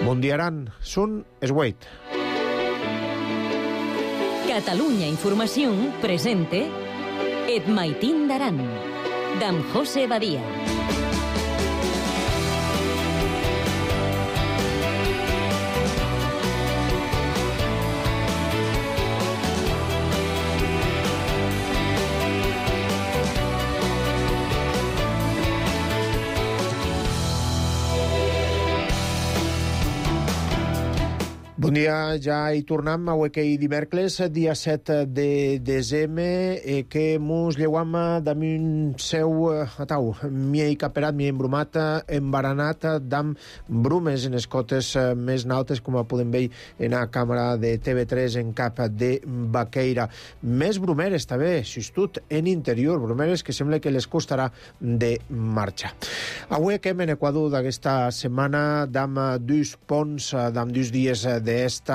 Mundiaran, Sun Esweit. Catalunya Información presente Et Maitín d'Aran, d'en José Badia. Bon dia, ja hi tornem a Uequei dimecres, dia 7 de desembre, que mos lleuam damunt seu atau, miei caperat, miei embrumat, embaranat d'am brumes en escotes més nautes, com podem veure en la càmera de TV3 en cap de Baqueira. Més brumeres, també, justut en interior, brumeres que sembla que les costarà de marxar. Avui que en Equador d'aquesta setmana d'am dus ponts, d'am dus dies d'esta,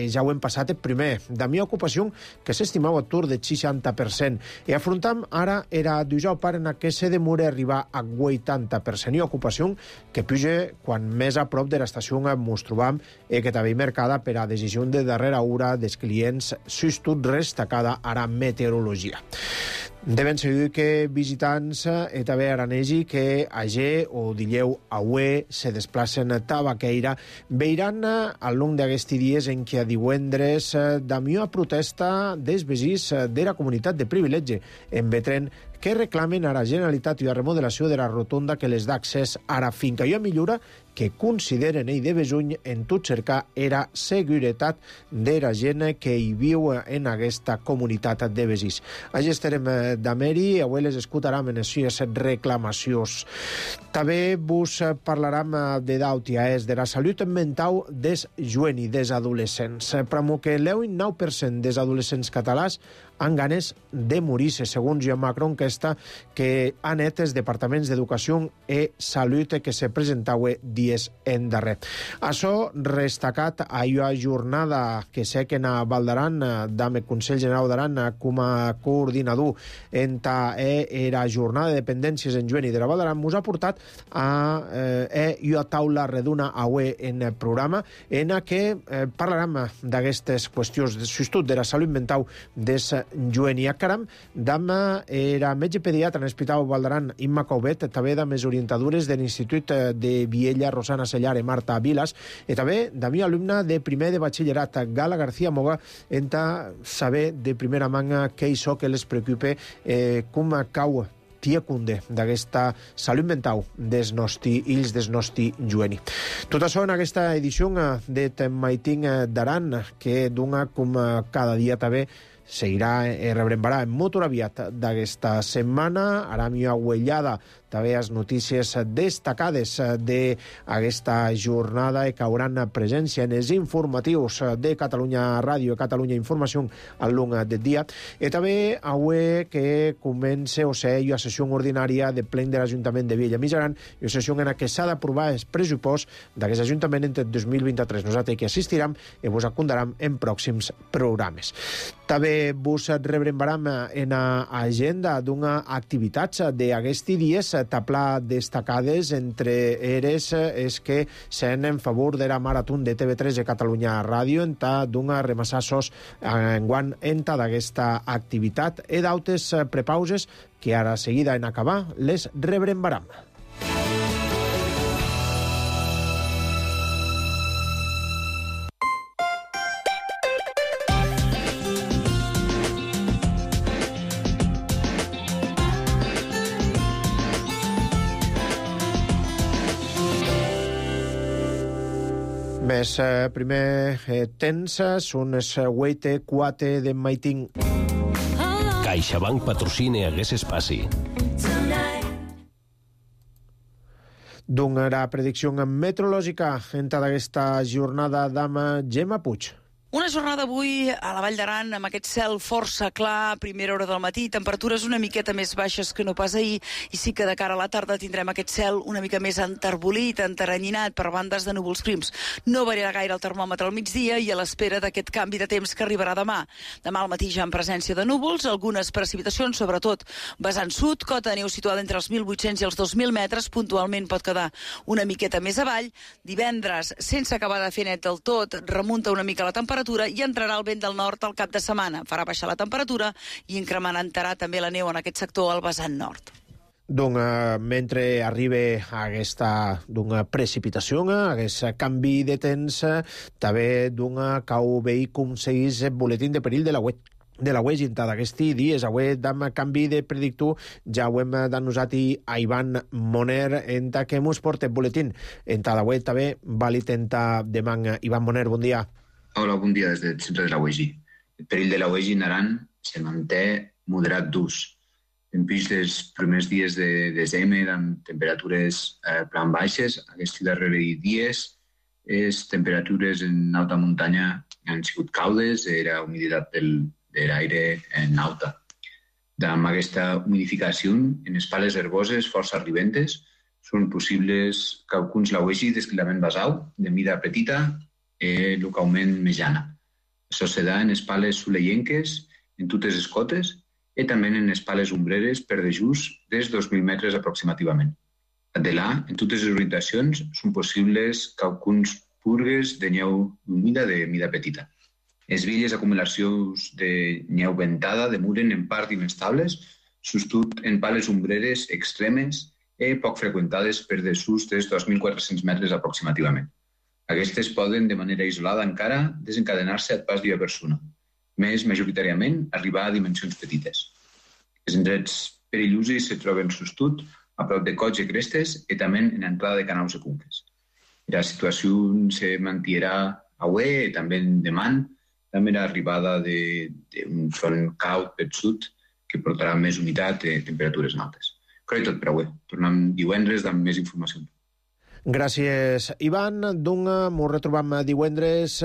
ja ho hem passat el primer. De mi ocupació que s'estimava atur de 60%. I afrontam ara era dijous paren que se demora arribar a 80%. I ocupació que puja quan més a prop de l'estació ens trobam que també marcada per a decisió de darrera hora dels clients, sustot destacada ara meteorologia. Deben seguir que visitants i també aranesi que ayer o dileu avui se desplacen a Tabaqueira veiran al long d'aquests dies en què a divendres d'amió a protesta dels veïns de la comunitat de privilegi en Betren que reclamen a la Generalitat i la remodelació de la rotonda que les dà accés a la finca i a millora que consideren ell de besuny en tot cercar era seguretat de la gent que hi viu en aquesta comunitat de veïns. Allà estarem d'Ameri, avui les escoltarem en les reclamacions. També vos parlarem de d'Autia, de la salut mental dels joves i dels adolescents. Però que l'9% dels adolescents catalans han ganes de morir-se, segons Joan Macron, que han net els departaments d'Educació i Salut que se presentava dies en darrer. Això destacat a la jornada que sé que en Valdaran, d'Ame Consell General d'Aran, com a coordinador en la jornada de dependències en Joan i de la Valdaran, ens ha portat a una taula redona avui en el programa en què parlarem d'aquestes qüestions, sobretot de la salut mental des Joan i Acaram, d'am era metge pediatra en l'Hospital Valdaran, Imma Covet, també de més orientadores de l'Institut de Viella, Rosana Sellar i Marta Vilas, i també de mi alumna de primer de batxillerat, Gala García Moga, en saber de primera manga què és que les preocupa, com cau tia cunde d'aquesta salut mental dels nostres fills, dels nostres joves. Tot això en aquesta edició de Maitín d'Aran, que dona com cada dia també seguirà i rebrembarà molt aviat d'aquesta setmana. Ara mi aguellada també les notícies destacades d'aquesta jornada que hauran presència en els informatius de Catalunya Ràdio i Catalunya Informació al long del dia. I també avui que comença o sigui la sessió ordinària de plen de l'Ajuntament de Viella Mitjaran i la sessió en què s'ha d'aprovar el pressupost d'aquest Ajuntament entre 2023. Nosaltres que assistirem i vos acondarem en pròxims programes. També vos rebrembarem en l'agenda d'una activitats d'aquests dies tapla destacades entre eres és que s'han en favor de la marató de TV3 de Catalunya Ràdio en d'una remassassos enguant enta d'aquesta activitat i d'altres prepauses que ara seguida en acabar les rebrembaram. Més primer temps són els 8:04 de Maitín. CaixaBank patrocina Hagués Espaci. Doncs la predicció meteorològica en d'aquesta jornada d'ama Gemma Puig. Una jornada avui a la Vall d'Aran amb aquest cel força clar a primera hora del matí, temperatures una miqueta més baixes que no pas ahir, i sí que de cara a la tarda tindrem aquest cel una mica més enterbolit, enteranyinat per bandes de núvols prims. No variarà gaire el termòmetre al migdia i a l'espera d'aquest canvi de temps que arribarà demà. Demà al matí ja en presència de núvols, algunes precipitacions, sobretot vessant sud, cota de neu situada entre els 1.800 i els 2.000 metres, puntualment pot quedar una miqueta més avall. Divendres, sense acabar de fer net del tot, remunta una mica la temperatura i entrarà el vent del nord al cap de setmana. Farà baixar la temperatura i incrementarà també la neu en aquest sector al vessant nord. Donc, mentre arriba aquesta precipitació, aquest canvi de temps, també cau veí com seguís el boletín de perill de la web. De la web gintada aquests dies, avui dam canvi de predictor, ja ho hem denunciat a Ivan Moner en que mos porta el boletín. En la web també vàlid demà. Ivan Moner, bon dia. Hola, bon dia des del centre de la UEGI. El perill de la UEGI en Aran se manté moderat d'ús. En pis dels primers dies de desembre, amb temperatures plan baixes, aquests darrers dies, les temperatures en alta muntanya han sigut caudes, era humiditat de l'aire en alta. Amb aquesta humidificació en les pales herboses força arribentes són possibles calculs la UEGI d'esquilament basal de mida petita localment mitjana. Això se da en les pales soleienques, en totes les cotes, i també en les pales ombreres per dejús des 2.000 metres aproximativament. De là, en totes les orientacions, són possibles calculs purgues de neu humida de mida petita. Les velles acumulacions de neu ventada demuren en part inestables, sostut en pales ombreres extremes i poc freqüentades per dessús des 2.400 metres aproximativament. Aquestes poden, de manera isolada encara, desencadenar-se a pas d'una persona, més majoritàriament arribar a dimensions petites. Els indrets perillosos se troben sostut a prop de cots i crestes i també en entrada de canals i conques. La situació se mantindrà avui i també demà, també l'arribada d'un front caut per sud que portarà més humitat i temperatures altes. Però i tot per avui. Tornem divendres amb més informació. Gràcies, Ivan. Ens retrobam divendres.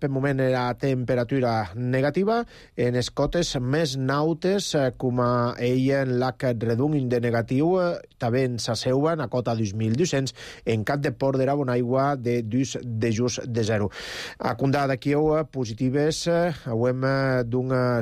Per moment la temperatura negativa. En les cotes més nautes, com a ella en l'ac redung de negatiu, també en s'asseuven a cota 2.200, en cap de port d'era Bonaigua de just de 0. A Condà de Kieu, positives, hem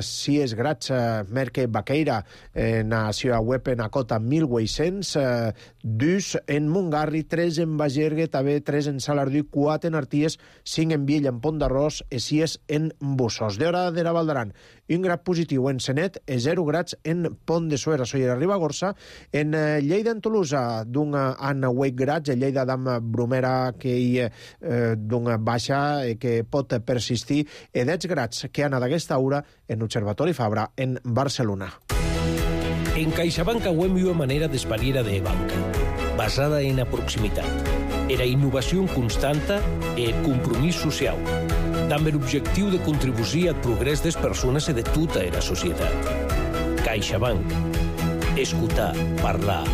6 grads, Merque Baqueira, en la seva web en a cota 1.800, 2 en Montgarri, 3 en Bagergue, també 3 en Salardú, 4 en Arties, 5 en Viella, en Pont d'Arròs, i 6 en Bussos. D'hora de la Val d'Aran, 1 grad positiu en Senet, 0 grads en Pont de Suera, Sollera, Ribagorça, en Lleida, en Tolosa, en 8 grads, en Lleida d'Am Bromera, que hi baixa, que pot persistir, i 10 grads que han d'aquesta hora en l'Observatori Fabra, en Barcelona. En CaixaBank hem una manera d'espariera de banca, basada en la proximitat, la innovació constanta i el compromís social, amb l'objectiu de contribuir al progrés de les persones i de tota la societat. CaixaBank. Escoltar, parlar,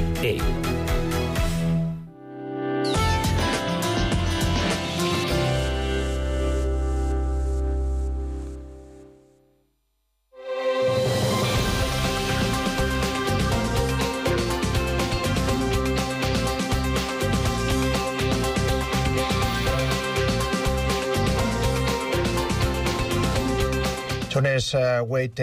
Sones wait,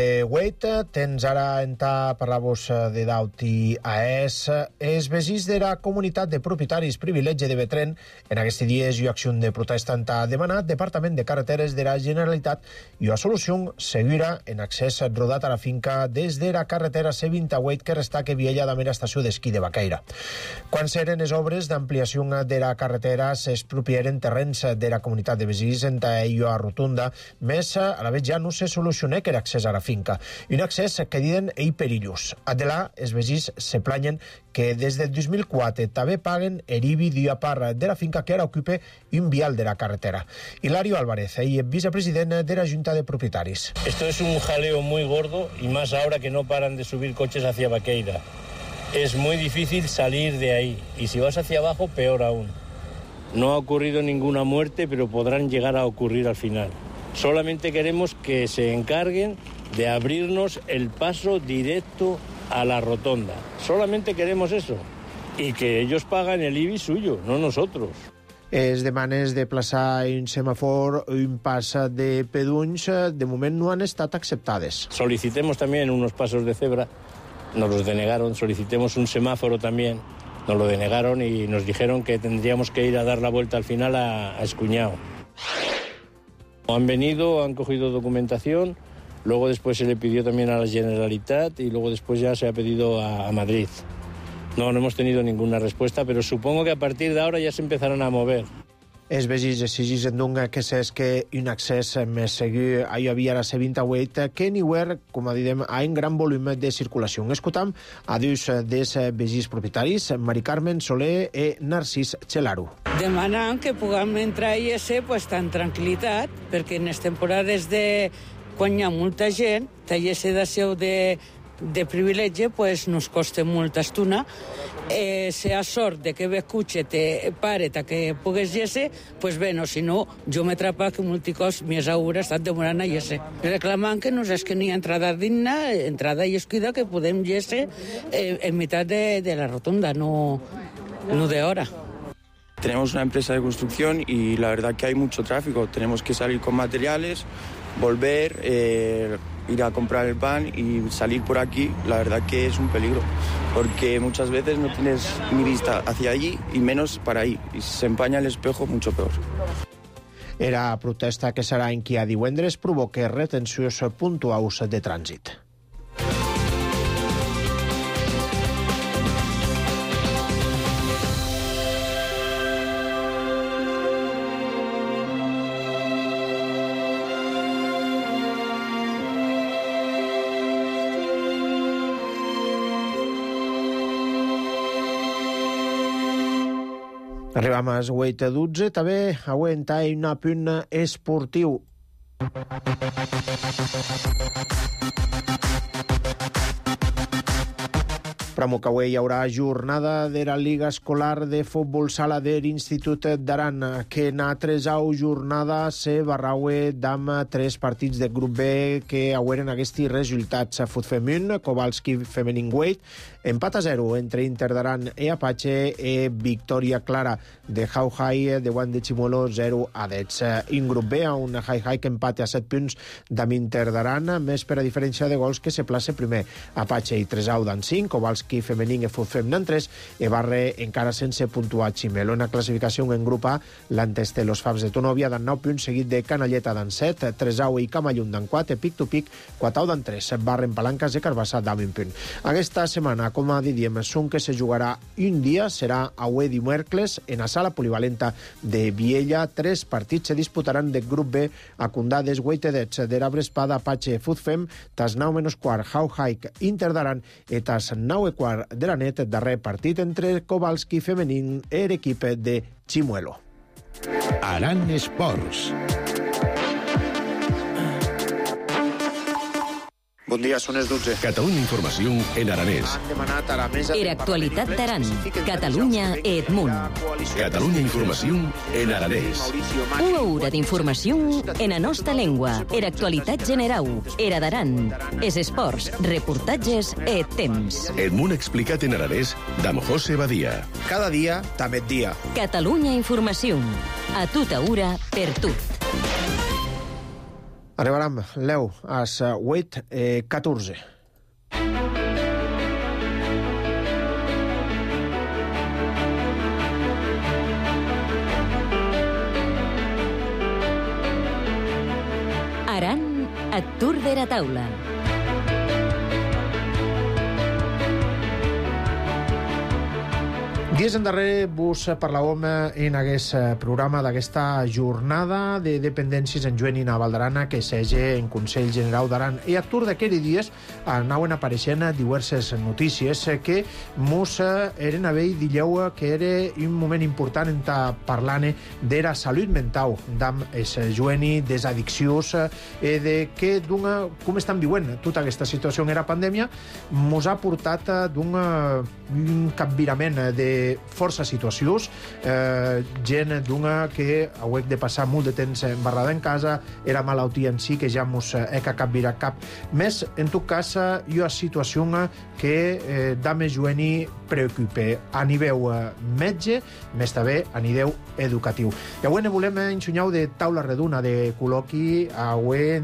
tens ara entà parlar-vos de daut i AES. Els veïns de la comunitat de propietaris privilegi de Betren en aquests dies i acció de protesta han demanat Departament de Carreteres de la Generalitat i la solució seguirà en accés rodat a la finca des de la carretera C28 que resta que Viella de la estació d'esquí de Baqueira. Quan s'eren les obres d'ampliació de la carretera s'expropiaren terrenys de la comunitat de veïns en a rotunda, més a la vez ja no se solucioné que l'accés a la finca. Un accés que diuen perillós. Adelà, els veïns se planyen que des del 2004 també paguen el IBI d'una part de la finca que ara ocupa un vial de la carretera. Hilario Álvarez, vicepresident de la Junta de Propietaris. Esto es un jaleo muy gordo y más ahora que no paran de subir coches hacia Baqueira. Es muy difícil salir de ahí y si vas hacia abajo, peor aún. No ha ocurrido ninguna muerte, pero podrán llegar a ocurrir al final. Solamente queremos que se encarguen de abrirnos el paso directo a la rotonda. Solamente queremos eso. Y que ellos pagan el IBI suyo, no nosotros. Les demanes de plaçar un semàfor o un pas de pedunys de moment no han estat acceptades. Solicitemos también unos pasos de cebra, nos los denegaron. Solicitemos un semáforo también, nos lo denegaron y nos dijeron que tendríamos que ir a dar la vuelta al final a Escuñao. Han venido, han cogido documentación, luego después se le pidió también a la Generalitat y luego después ya se ha pedido a Madrid. No hemos tenido ninguna respuesta, pero supongo que a partir de ahora ya se empezarán a mover. Els veïns exigeixen doncs que s'esque un accés més segur a via la C28 que niuer, com a diem, a un gran volum de circulació. Escoltam a dos dels veïns propietaris, Mari Carmen Soler i Narcís Xelaru. Demanant que puguem entrar i ser tan tranquil·litat, perquè en les temporades de quan hi ha molta gent, tallar sedació de privilegi nos costa molta estona. Si ha sort de que escuche te pare que pugues llese, pues bueno, si no, jo m'he atrapat que molticos més hores estat demorant a llese. Reclamant que no és que ni entrada digna, entrada i esquida que podem llese en mitad de la rotonda, no de hora. Tenemos una empresa de construcción y la verdad que hay mucho tráfico. Tenemos que salir con materiales, volver, ir a comprar el pan y salir por aquí, la verdad que es un peligro, porque muchas veces no tienes ni vista hacia allí y menos para ahí, y si se empaña el espejo, mucho peor. Era protesta que serà en qui a divendres provoca retencions puntuals de trànsit. Arribam a 8:12, també aguenta un punt esportiu. Pramo que avui hi haurà jornada de la Liga Escolar de Futbol Sala de l'Institut d'Aran, que na tresau jornada se barraue d'am 3 partits de grup B que haueren aquests resultats. Futfemun, Kowalski Femenin Weight, empat a 0 entre Inter d'Aran i Apache i victòria clara de Hauhai de Guan de Chimuelo 0 a 10. En grup B, un Hauhai que empate a 7 punts d'am Inter d'Aran, més per a diferència de gols que se place primer. Apache i Tresau d'an 5, Kowalski Femenin i Futfem d'an 3, i Barre encara sense puntuar Chimelo. En la classificació en grup A, l'Anteste los Fabs de Tonovia d'an 9 punts, seguit de Canalleta d'an 7, Tresau i Camallun d'an 4, Pic to Pic, Quatau d'an 3, Barre en Palancas i Carbassa d'an 20 punt. Aquesta setmana, com a diem, són que se jugarà un dia, serà avui dimecres, en la sala polivalenta de Viella. 3 partits se disputaran de grup B a Condades, Guaitedets, d'Erabre Espada, Apache, Futfem, tas 9:15, Hauhaik, Inter d'Aran, i tas 9:15 de la net, darrer partit entre Kowalski Femenin i l'equip de Chimuelo. Aran Esports. Bon dia, són les 12. Catalunya Informació en aranès. Han demanat a la mesa... Era actualitat d'Aran, Catalunya i Edmunt. Catalunya Informació en aranès. Una hora d'informació en la nostra llengua. Era actualitat general. Era d'Aran. Es esports, reportatges i temps. Edmunt explicat en aranès d'Am José Badia. Cada dia, també dia. Catalunya Informació. A tota hora, per tot. Arribarem, Leu, a 8:14. Aran, a Tour de la Taula. Dies endarrere vos parlàvem en aquest programa d'aquesta jornada de dependències en Joan i na Valdarana que s'ege en Consell General d'Aran. I a tour d'aquests dies anaven apareixent diverses notícies que mos eren a veure dilleu que era un moment important en parlant de la salut mental d'am es Joani, des addiccions i de que com estan viuen tota aquesta situació en la pandèmia mos ha portat d'un capvirament de força situacions, gent d'una que hauec de passar molt de temps embarrada en casa, era malaltia en si, que ja mos eca cap vira cap. Més, en tot cas, hi ha situació que dame jueni preocupe a nivell metge, més també a nivell educatiu. I avui ne volem ensenyar de taula redona de col·loqui, avui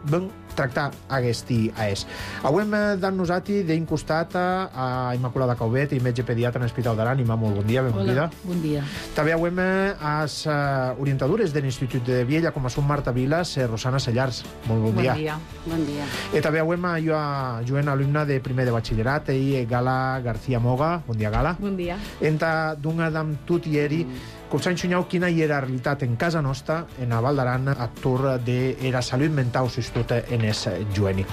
ben tractar aquest AES. Avui hem d'en nosaltres d'incostat a Immaculada Caubet, metge pediatra en l'Hospital d'Aran. Imma, molt bon dia, benvinguda. Hola, bon dia. També avui hem as orientadores de l'Institut de Viella, com són Marta Vilas i Rosana Sellars. Molt bon dia. Bon dia. Bon dia. I també avui hem Joan, alumna de primer de batxillerat, i Gala García Moga. Bon dia, Gala. Bon dia. Enta d'una d'am tot i eri, com s'ha ensenyat quina hi era la realitat en casa nostra, en a Val d'Aran, a tour de la salut mental, sobretot en es jueni.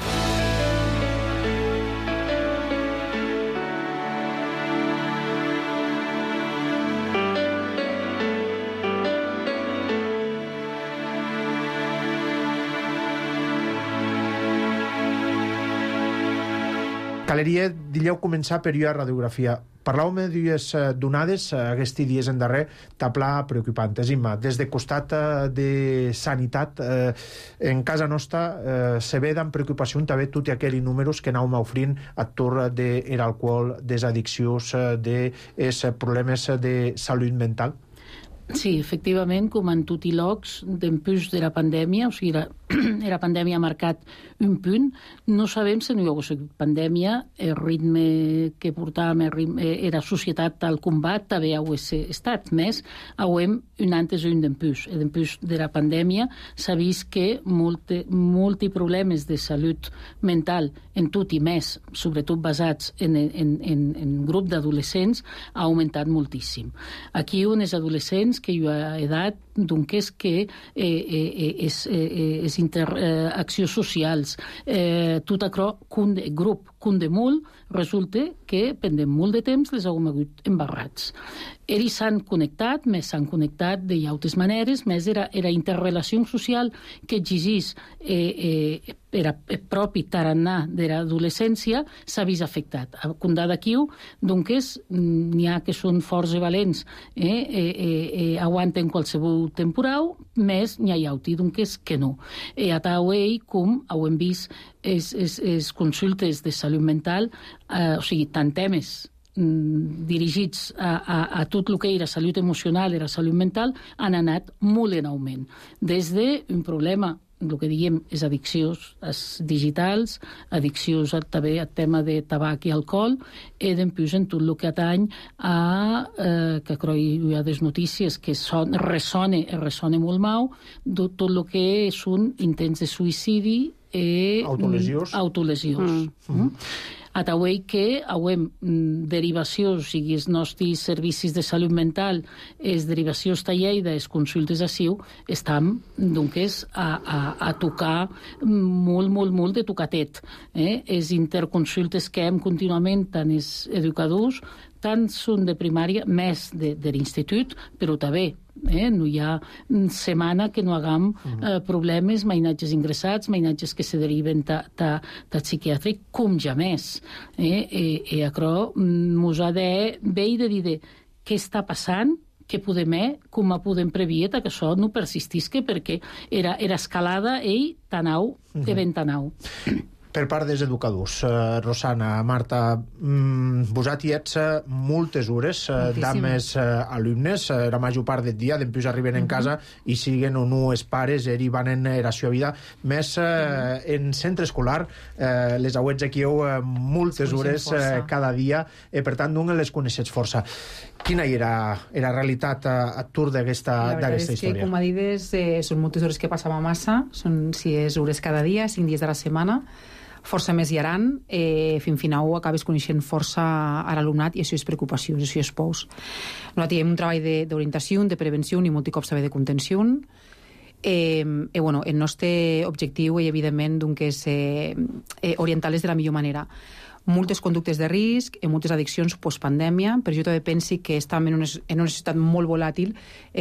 Caleria, dilleu començar per la radiografia. Parlàvem d'ues donades, aquests dies en darrer, tapla preocupant. Imma, des de costat de sanitat, en casa nostra, se ve d'en preocupació també tots aquells números que anàvem ofrint a tour de l'alcohol, des addiccions, dels problemes de salut mental? Sí, efectivament, com en tot i llocs, d'empús de la pandèmia, o sigui, la pandèmia ha marcat un punt. No sabem si no hi ha hagut pandèmia, el ritme que portàvem, era societat al combat, també ha estat més, hauem un antes i un d'empús. D'empús de la pandèmia s'ha vist que molts problemes de salut mental, en tot i més, sobretot basats en grup d'adolescents, ha augmentat moltíssim. Aquí uns adolescents que hi ha edat doncs que és interaccions socials, tot això, grup, de molt, resulta que pendent molt de temps les hem hagut embarrats. Ells s'han connectat, més s'han connectat de altres maneres, més era interrelació social que exigís era propi tarannà de l'adolescència, s'ha vist afectat. A Condà d'aquí, doncs, n'hi ha que són forts i valents, aguanten qualsevol temporal, més n'hi ha altres, doncs, que no. A Tauei, com hem vist, les consultes de salut mental, o sigui, tant temes dirigits a tot el que era salut emocional i la salut mental, han anat molt en augment. Des d'un problema, el que diguem és addiccions digitals, addiccions també al tema de tabac i alcohol, i després en tot el que atany que crec hi ha des notícies que ressona molt mau, tot el que són intents de suïcidi i autolesions. A Tauei que hauem derivacions, o sigui, els nostres servicis de salut mental, les derivacions a Lleida, les consultes a Siu, estan, doncs, a tocar molt de tocatet. Les interconsultes que hem contínuament, tant els educadors, tant són de primària, més de l'institut, però també no hi ha setmana que no hagam problemes, mainatges ingressats, mainatges que se deriven de psiquiàtric, com ja més. I això mos ha de bé i de dir què està passant, què podem com podem prevenir que això no persistisca, perquè era escalada i tanau, de ben tanau. Per part dels educadors, Rosana, Marta, vosaltres ets moltes hores d'ames alumnes, la major part del dia, després arriben en casa i siguen o no els pares, i van en la seva vida. Més en centre escolar, les auets aquí moltes hores cada dia, per tant, no les coneixes força. Quina era la realitat a tour d'aquesta història? La veritat és que, com a dides, són moltes hores que passava massa, són 6 hores cada dia, 5 dies de la setmana, força més hi haran, fins final acabes coneixent força a l'alumnat i això és preocupació, això és pous. Nosaltres tenim un treball d'orientació, de prevenció i molts cops també de contenció. El nostre objectiu, evidentment, és orientar-les de la millor manera. Moltes conductes de risc, moltes addiccions postpandèmia, però jo també penso que estem en una societat molt volàtil,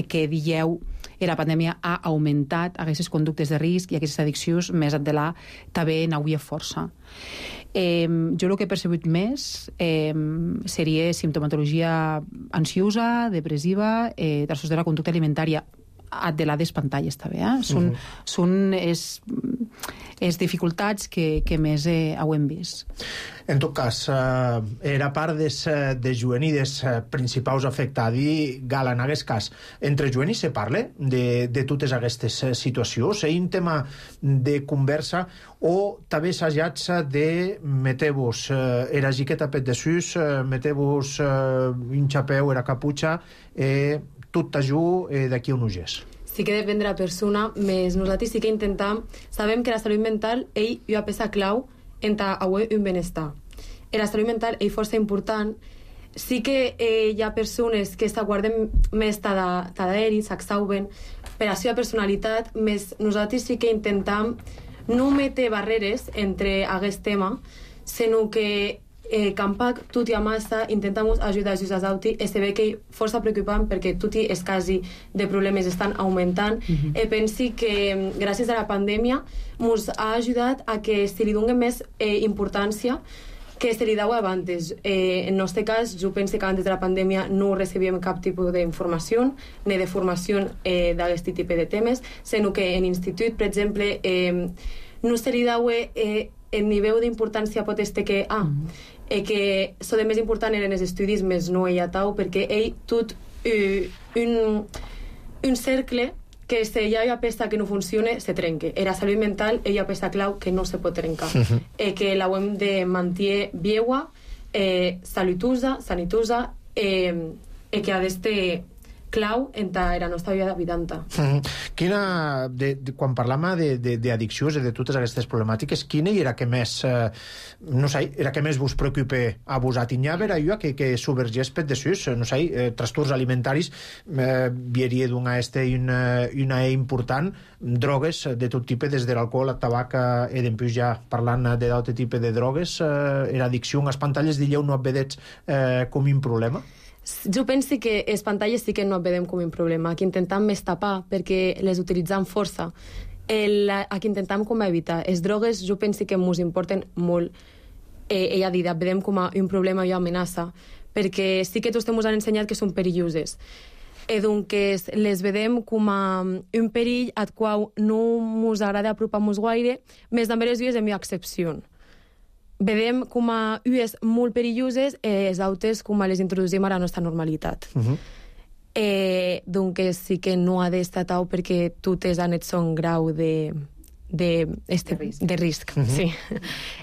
que dieu i la pandèmia ha augmentat aquestes conductes de risc i aquestes addiccions més endelà també n'hauria força. Jo el que he percebut més seria simptomatologia ansiosa, depressiva, trastorns de la conducta alimentària, de les pantalles també. Són les dificultats que més ho hem vist. En tot cas, era part de jovenides principals afectades, Gala, en aquest cas. Entre jovenis se parla de totes aquestes situacions? És un tema de conversa o també s'ajats de meter-vos era jiqueta pet de sus, meter-vos un xapeu, era caputxa, tot t'ajú d'aquí un ugès. Sí que depèn de la persona, més nosaltres sí que intentem, sabem que la salut mental hi ha peça clau en avui un benestar. La salut mental és força important. Sí que hi ha persones que s'aguarden més d'aeri, s'exhauben per la seva personalitat, més nosaltres sí que intentem no metre barreres entre aquest tema, sinó que Campac, tutti a massa, intentamos ajudar els auti i se ve que força preocupant perquè tutti els casos de problemes estan augmentant. Pensi que gràcies a la pandèmia ens ha ajudat a que se li doni més importància que se li deu abans. En el nostre cas, jo penso que abans de la pandèmia no recebíem cap tipus d'informació ni de formació d'aquest tipus de temes, sinó que en l'institut, per exemple, no se li deu el nivell d'importància pot este que que el més important eren els estudis, més no ella tau, perquè ell tot un cercle que si hi ha peça que no funciona, se trenca. La salut mental hi ha peça clau que no se pot trencar. Que la hem de mantenir viua, sanitosa, que ha d'estar clau en la nostra vida habitanta. Quan parlàvem d'addiccions i de totes aquestes problemàtiques, quina era que més no sé, era que més vos preocupa a vos? N'hi ha allò que subvergeix pet de sus, no sé, trastorns alimentaris, vieria d'una una important, drogues de tot tipus, des de l'alcohol, el tabac i d'empús ja parlant d'altre tipus de drogues, l'addicció a les pantalles, dieu, no et vedets com un problema? Jo penso que les pantalles sí que no vedem com un problema, que intentem més tapar perquè les utilitzem força, que intentem com evitar. Les drogues jo penso que ens importen molt, ella ha dit, vedem com un problema i amenaça, perquè sí que tots ens han ensenyat que són perilloses. Doncs les vedem com un perill al qual no ens agrada apropar-nos gaire, més també les dues hi ha excepció. Vedem com a ues molt perilloses i els altres com les introducim a la nostra normalitat. Doncs sí que no ha d'estar tau perquè totes han et son grau de risc. Sí.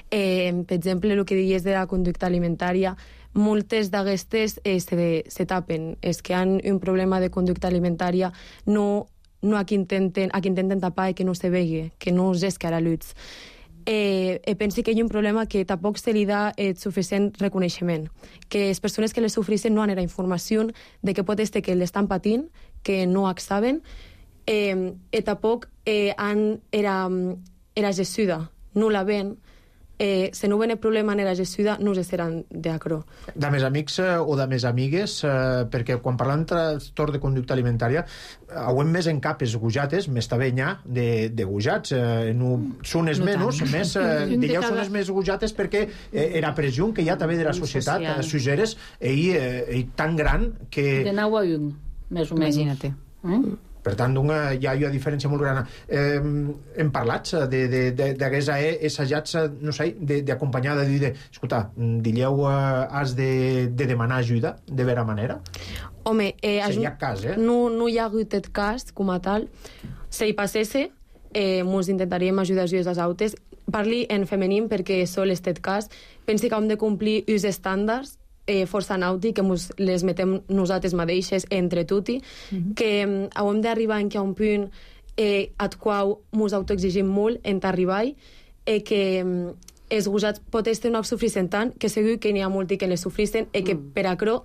Per exemple, el que diries de la conducta alimentària, moltes d'aquestes se tapen. Els que han un problema de conducta alimentària no a qui intenten tapar i que no se vegi, que no es esca a la llum. Penso que hi ha un problema que tampoc se li dà suficient reconeixement, que les persones que les sofreixen no han la informació de que pot ser que l'estan patint, que no ho saben, i tampoc han la gessuda, no la ven. Si no ven el problema en la gessuda, no se seran d'acord. De més amics o de més amigues, perquè quan parlem de trastorn de conducta alimentària, hauem més en cap els gujates, més també n'hi ha de gujats. Són els menys, més, dieu, són els més gujates perquè era pressió que hi ha també de la societat, suggeres, tan gran que... De 9 a 1, més o menys. Imagina't. Per tant, hi ha una diferència molt gran. Hem parlat d'aquests assajats, no sé, d'acompanyar, de dir, escolta, dieu, has de demanar ajuda, de vera manera? Home, si hi ha cas, no hi ha hagut aquest cas com a tal. Si hi passés, ens intentaríem ajudar els autes. Parli en femení perquè sol aquest cas. Pensi que hem de complir els estàndards força nauti, que les metem nosaltres mateixes entre tutti, que hem d'arribar en un punt al qual ens autoexigim molt en arribar que els gosats pot estar no sofrissent tant, que segur que n'hi ha molts que les sofrissen i que per acrò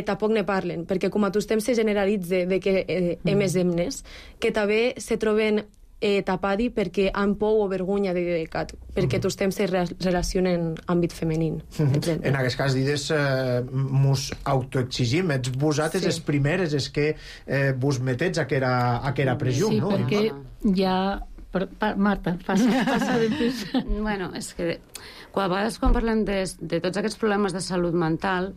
tampoc ne parlen, perquè com a tots temps se generalitza de que més emnes, que també se troben tapadi perquè han por o vergonya de perquè tots temps se relacionen amb àmbit femení. En aquest cas, dides, mos autoexigim, ets vosaltres les primeres és que vos metets a que era pressió, no? Sí, perquè ja... Marta, passa després. Bueno, és que a vegades quan parlem de tots aquests problemes de salut mental,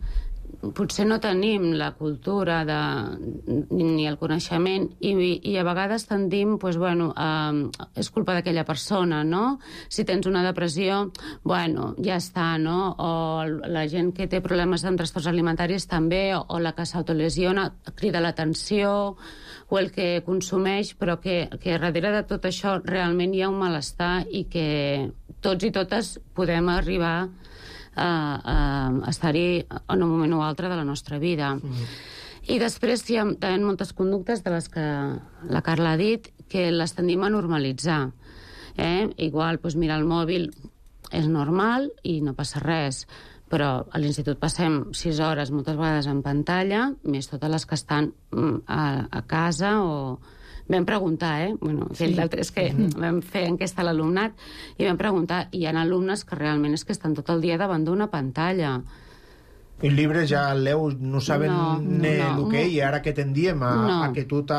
potser no tenim la cultura ni el coneixement i a vegades tendim, és culpa d'aquella persona, no? Si tens una depressió, ja està, no? O la gent que té problemes amb trastorns alimentaris també, o la que s'autolesiona crida l'atenció, o el que consumeix, però que darrere de tot això realment hi ha un malestar i que tots i totes podem arribar a estar-hi en un moment o altre de la nostra vida. I després hi ha també moltes conductes de les que la Carla ha dit que les tendim a normalitzar. Igual, mirar el mòbil és normal i no passa res, però a l'institut passem 6 hores moltes vegades en pantalla, més totes les que estan a casa o... Vam preguntar, és que vam fer enquesta a l'alumnat i vam preguntar, i hi ha alumnes que realment és que estan tot el dia davant d'una pantalla. Els llibres ja leu, no saben el que i ara que tendíem a que tot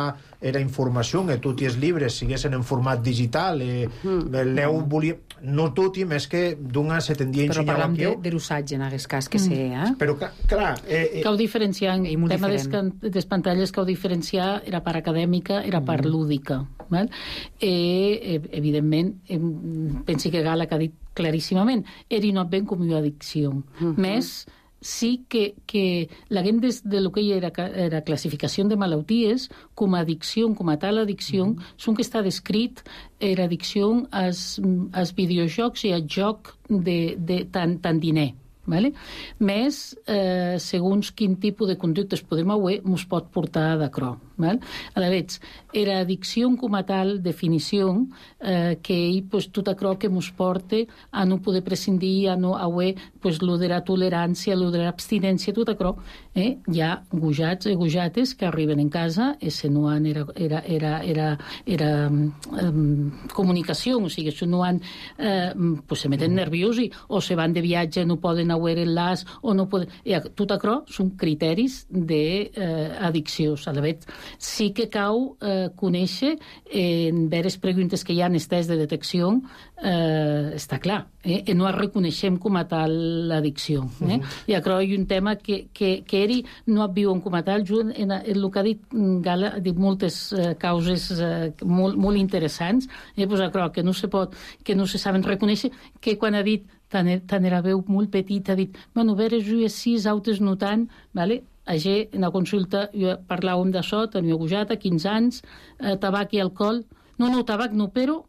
era informació, que tots els llibres siguessin en format digital, leu volia... No tot, més que d'una se tendia a ensenyar aquí. Però parlam de l'usatge, en aquest cas, que sé, Però, clar... Cau diferenciar, el tema de les pantalles cau diferenciar era part acadèmica, era part lúdica. Evidentment, pensi que Gala que ha dit claríssimament, era no ben com una addicció. Més sí que la gent de lo que era classificació de malalties com a addicció, com a tal addicció, són que està descrit era addicció als videojocs i al joc de tant diner. Més, segons quin tipus de conductes podem haver, ens pot portar d'acrò. Aleshores, era addicció com a tal definició que tot això que ens porta a no poder prescindir, a no haver lo de la tolerància, lo de l'abstinència, tot això. Hi ha gojats i gojates que arriben en casa i se no han era comunicació, o sigui, se no han se meten nerviosi o se van de viatge, no poden haver enllaç o no poden... Tot això són criteris d'addicció. Sí que cal conèixer en veres preguntes que hi ha en els tests de detecció, està clar, no es reconeixem com a tal l'addicció. I això hi ha un tema que eri no et viuen com a tal. En el que ha dit Gala, ha dit moltes causes molt interessants, això que no se pot, que no se saben reconèixer, que quan ha dit tant era veu molt petit, ha dit, veres jo així, altres no tant, en la consulta parlàvem d'això, tenia gojata, 15 anys, tabac i alcohol. No, tabac no, però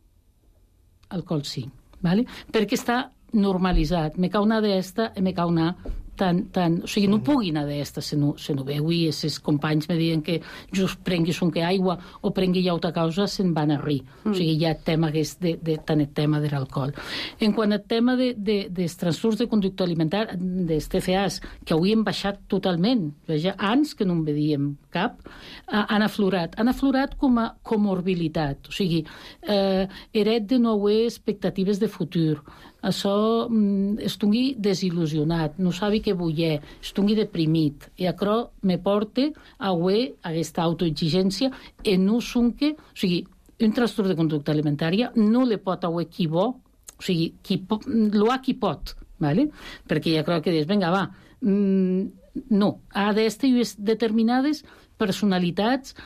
alcohol sí. Perquè està normalitzat. Me cau una d'esta i me cau una o sigui, no pugui anar d'esta se no veu, i els companys me diuen que just prenguis un que aigua o prengui llauta causa, se'n van a rir. O sigui, hi ha tema que és tant el tema de l'alcohol. En quant al tema dels trastorns de conducta alimentària, dels TCAs, que avui hem baixat totalment, anys que no en vedíem cap, han aflorat com a comorbilitat. O sigui, heret de no haver expectatives de futur. Això estungui desil·lusionat, no sabi què voler, estungui deprimit. I això me porta a haver aquesta autoexigència i no sonque... O sigui, un trastorn de conducta alimentària no li pot haver qui bo, o sigui, lo ha qui pot, perquè ja crec que dius, vinga, va, no, ha d'estar determinades personalitats,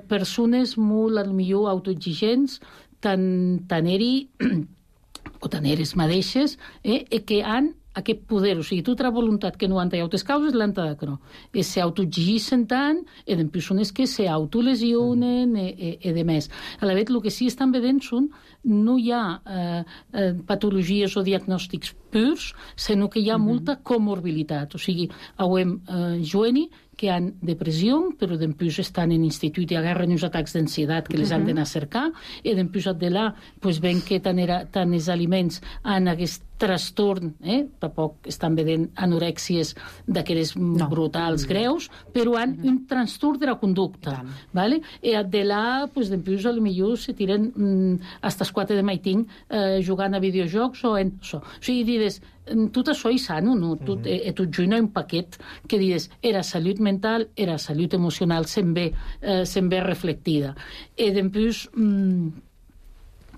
persones molt, millor, autoexigents, tant eri... o tant eres mateixes, que han aquest poder, o sigui, tota voluntat que no han tallat les causes, l'han tallat. S'autoexigeixen tant, i en persones que s'autolesionen i de més. A la vegada, el que sí estan vedent són, no hi ha patologies o diagnòstics purs, sinó que hi ha molta comorbilitat. O sigui, Joeni, que han depressió, però dempús estan en institut i agarren uns atacs d'ansietat que les han d'anar a cercar, i dempús de là ven que tant els aliments han aquest trastorn, tampoc estan vedent anorèxies d'aquelles brutals greus, però han un trastorn de la conducta. I de là, dempús, potser se tiren hasta les 4 de maitín jugant a videojocs o en això. O sigui, dius, tot això és sano, no? Tot junt un paquet que dius, era salut mental, era salut emocional, se'n ve reflectida. I dempús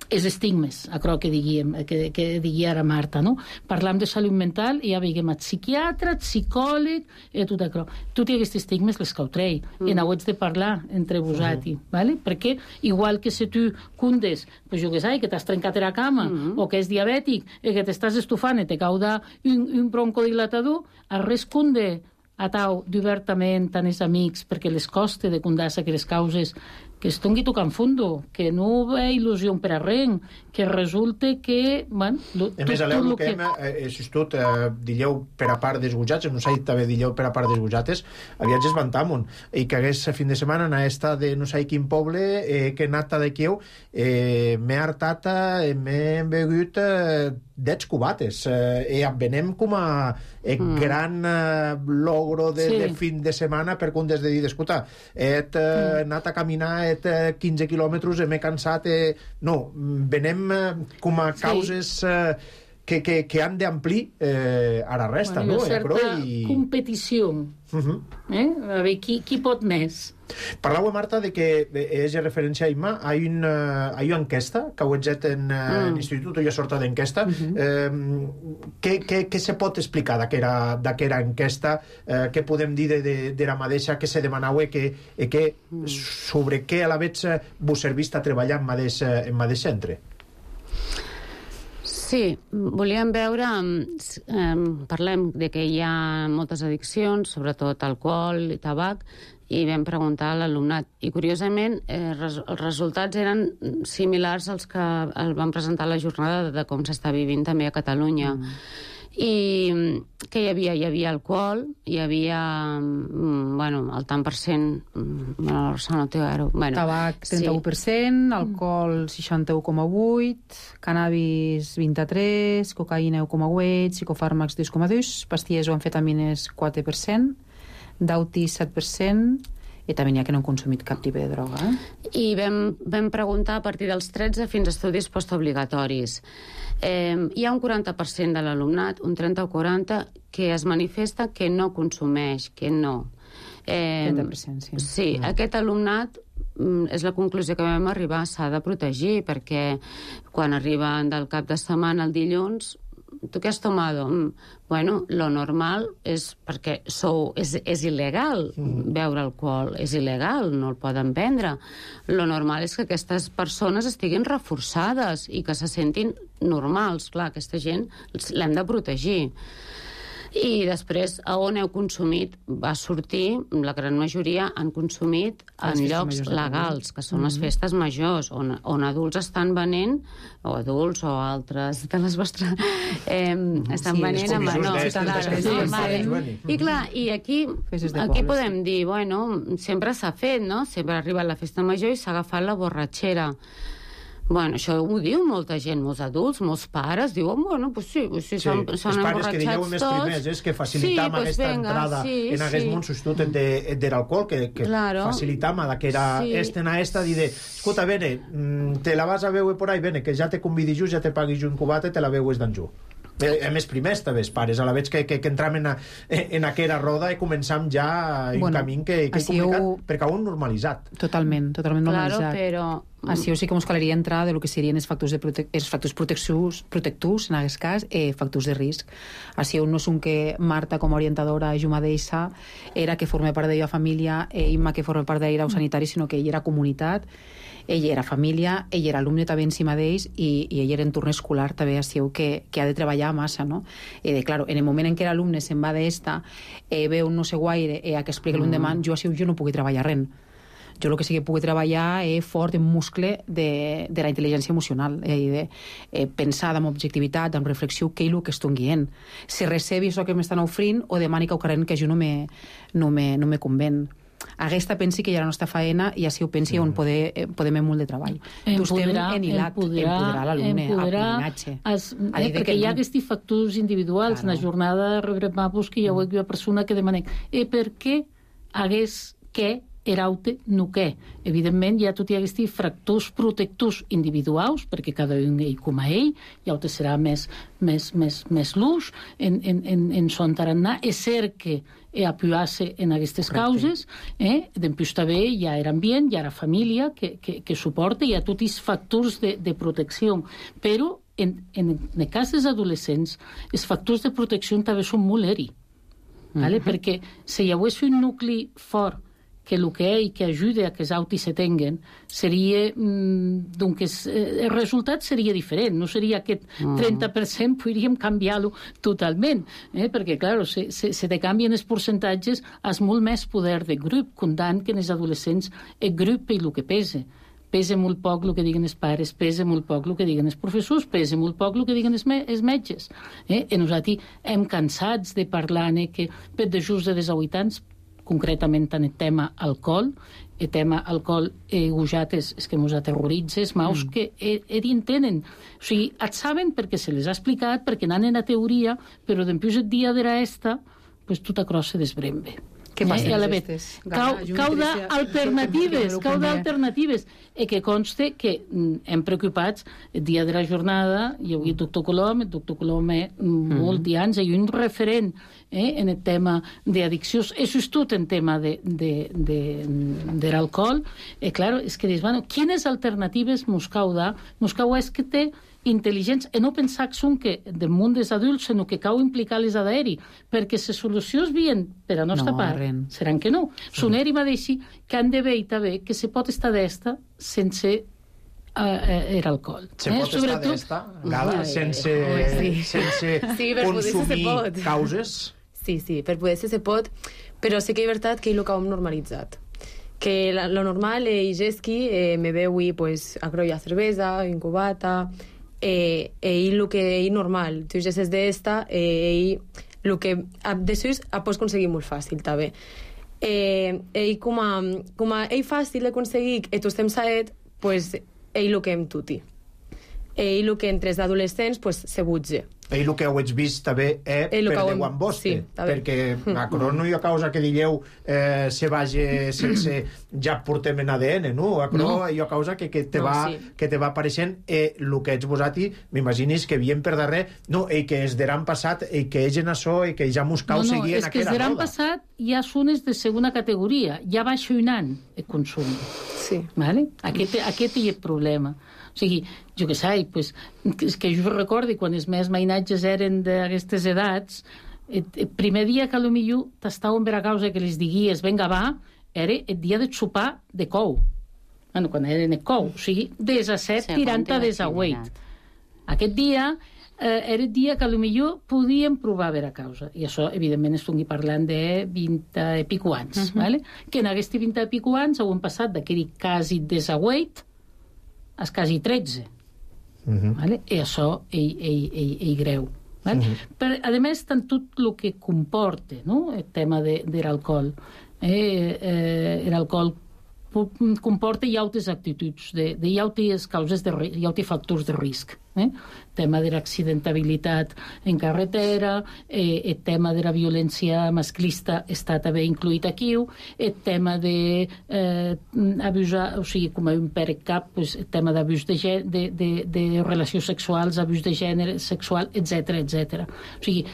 els estigmes, això que digui ara Marta, no? Parlam de salut mental i ja veiem el psiquiatre, el psicòleg, i tot això. Tots aquests estigmes les cautrei, i n'ho haig de parlar entre vosaltres, perquè igual que si tu cundes, jo què sé, que t'has trencat la cama, o que és diabètic, i que t'estàs estufant i te cauda un broncodilatador, a res cunde a tau d'obertament tant els amics, perquè les coste de cundar-se que les causes que es tongui tocant fondo, que no ve il·lusió per a res, que resulta que... A més, aleu que si tot dilleu per a part dels gujats, no sé, també dilleu per a part dels gujates, aviatges vantamon, i que hagués fin de setmana na esta de no sé quin poble, que nata de quieu, m'he hartat, m'he begut 10 cubates, i venem com a gran logro de fin de setmana per un des de dir, escolta, he anat a caminar 15 quilòmetres, m'he cansat, no, venem com a causes que han d'amplir a la resta, no? Hi ha certa competició. A veure, qui pot més? Parlau, Marta, de que és referència a Imma, hi ha una enquesta que heu fet en l'institut, hi ha sorta d'enquesta. Què se pot explicar d'aquesta enquesta? Què podem dir de la mateixa que se demanau sobre què a la vez vos servís a treballar en mateix centre? Sí, volíem veure, parlem de que hi ha moltes addiccions, sobretot alcohol i tabac, i vam preguntar a l'alumnat. I, curiosament, els resultats eren similars als que van presentar a la jornada de com s'està vivint també a Catalunya. I que hi havia alcohol, hi havia el tant per cent, tabac 31%, alcohol 61,8%, cannabis 23%, cocaïna 1,8%, psicofàrmacs 2,2%, pastilles o amfetamines 4%, d'auti 7%, i també n'hi ha que no han consumit cap tipus de droga. I vam preguntar a partir dels 13 fins a estudis postobligatoris. Hi ha un 40% de l'alumnat, un 30 o 40, que es manifesta que no consumeix, que no. 30%, sí. Sí, aquest alumnat és la conclusió que vam arribar, s'ha de protegir, perquè quan arriben del cap de setmana el dilluns, ¿tú qué has tomado? Bueno, lo normal és perquè és il·legal beure alcohol, és il·legal, no el poden vendre. Lo normal és que aquestes persones estiguin reforçades i que se sentin normals. Clar, aquesta gent l'hem de protegir. I després, a on heu consumit, va sortir, la gran majoria han consumit en llocs legals, que són les festes majors, on adults estan venent, o adults o altres de les vostres... estan venent a menors. I clar, i aquí podem dir, bueno, sempre s'ha fet, no? Sempre ha arribat la festa major i s'ha agafat la borratxera. Bueno, això ho diu molta gent, molts adults, molts pares, diuen, bueno, pues sí, s'han emborratxats tots. Els pares que dieu més primers, és que facilitam aquesta entrada en aquest món substitut de l'alcohol, que facilitam que era esta, dir, escolta, bene, te la vas a veure por ahí, bene, que ja te convidi jo, ja te pagui jo un cubat i te la veues d'en jo. A més primers també els pares, a la vegada que entram en aquella roda i començam ja un camí que és complicat perquè ho han normalitzat. Totalment normalitzat. Claro, però... Així sí que ens calaria entrar de lo que serien els factors protectors, en aquest cas, factors de risc. Així no és un que Marta, com a orientadora, jo mateixa, era que forma part de la família, Imma, que forma part de l'Irau Sanitari, sinó que ell era comunitat, ell era família, ell era alumne també en si mateix i ell era entorn escolar també, així que ha de treballar massa, no? Claro, en el moment en què l'alumne se'n va d'esta, veu no sé guaire, a que explica l'endemà, jo no pugui treballar res. Jo el que sí que puc treballar és fort en muscle de la intel·ligència emocional, de pensar amb objectivitat, amb reflexió, què és el que estic guiant. Si recebi això que m'estan oferint o demani que ho carreguen que jo no me conven. Aquesta pensi que hi ha la nostra faena i així ho pensi on podem molt de treball. Empoderar l'alumne, aprenenatge. Perquè hi ha aquests factors individuals. En la jornada rebrem que hi ha una persona que demana per què hagués que eraute no què. Evidentment, hi ha tot aquests factors protectors individuals, perquè cada un ell com a ell, i altre serà més l'ús en son tarannà. És cert que apoyar-se en aquestes causes, després també hi ha l'ambient, hi ha la família que suporta, hi ha tots els factors de protecció. Però, en el cas dels adolescents, els factors de protecció també són molt eri. Perquè si hi hagués un nucli fort que el que ajuda a que els autis se tinguen seria, el resultat seria diferent, no seria aquest 30%, podríem canviar-lo totalment, perquè, clar, si te canvien els percentatges, has molt més poder de grup, comptant que en els adolescents el grup és el que pesa. Pesa molt poc el que diguen els pares, pesa molt poc el que diguen els professors, pesa molt poc el que diguen els metges. I nosaltres hem cansats de parlar que per de just de 18 anys, concretament en el tema alcohol, el tema alcohol gujat és que ens aterroritza, els maus que entenen. O sigui, et saben perquè se les ha explicat, perquè n'han en la teoria, però després el dia de l'esta, pues tot acrò se desbrembe. Què passa? Cau d'alternatives. I que conste que hem preocupats el dia de la jornada, hi ha el doctor Colom molts anys, hi ha un referent en el tema d'addiccions, això és tot en tema de l'alcohol. I clar, és que dius, bueno, quines alternatives mos cau dar? Mos cau és que té intel·ligents, i no pensar que són que del món dels adults, sinó que cau implicar-les a d'aeri, perquè les solucions vien per a nostra part, seran que no. Són eri mateixi que han de veure també que se pot estar d'esta sense l'alcohol. Se pot estar d'esta, Gala, sense consumir causes? Sí, per poder ser se pot, però sí que és veritat que ell ho hem normalitzat. Que lo normal és que me beui a croia cervesa, incubata, ell el que és normal. Tu ja és d'esta, ell el que després pots aconseguir molt fàcil, també. Ell com a ell fàcil d'aconseguir i tu estem saet, ell el que hem tuti. Ell el que entre els adolescents se butge. Ell el que heu vist també per Déu amb vostre, perquè a crono hi ha causa que digueu se vagi sense ja portem en ADN, no? A crono hi ha causa que te va apareixent el que ets vosaltres, m'imagines que vien per darrer, no, i que es deran passat, i que egen això, i que ja mos cau seguir en aquella roda. És que es deran passat ja són de segona categoria, ja baixa un any el consum. Sí. Aquest és el problema. O sigui, jo què sé, que jo recordo quan els meus mainatges eren d'aquestes edats, el primer dia que potser t'estaven per a causa que les diguies venga va, era el dia de sopar de cou. Bueno, quan eren el cou, o sigui, des a 7 tirant a des a 8. Aquest dia era el dia que potser podíem provar a veure causa. I això, evidentment, estigui parlant de 20 i pico anys. Que en aquests 20 i pico anys hem passat d'aquell quasi des a 8 a quasi 13. I això és greu. Però, a més, tant tot el que comporta el tema de l'alcohol. L'alcohol comporta hi altres actituds, hi altres causes, hi altres factors de risc. El tema de l'accidentabilitat en carretera, el tema de la violència masclista està també incluït aquí, el tema d'abusar, o sigui, com a un per cap, el tema d'abús de relacions sexuals, abús de gènere sexual, etc. O sigui,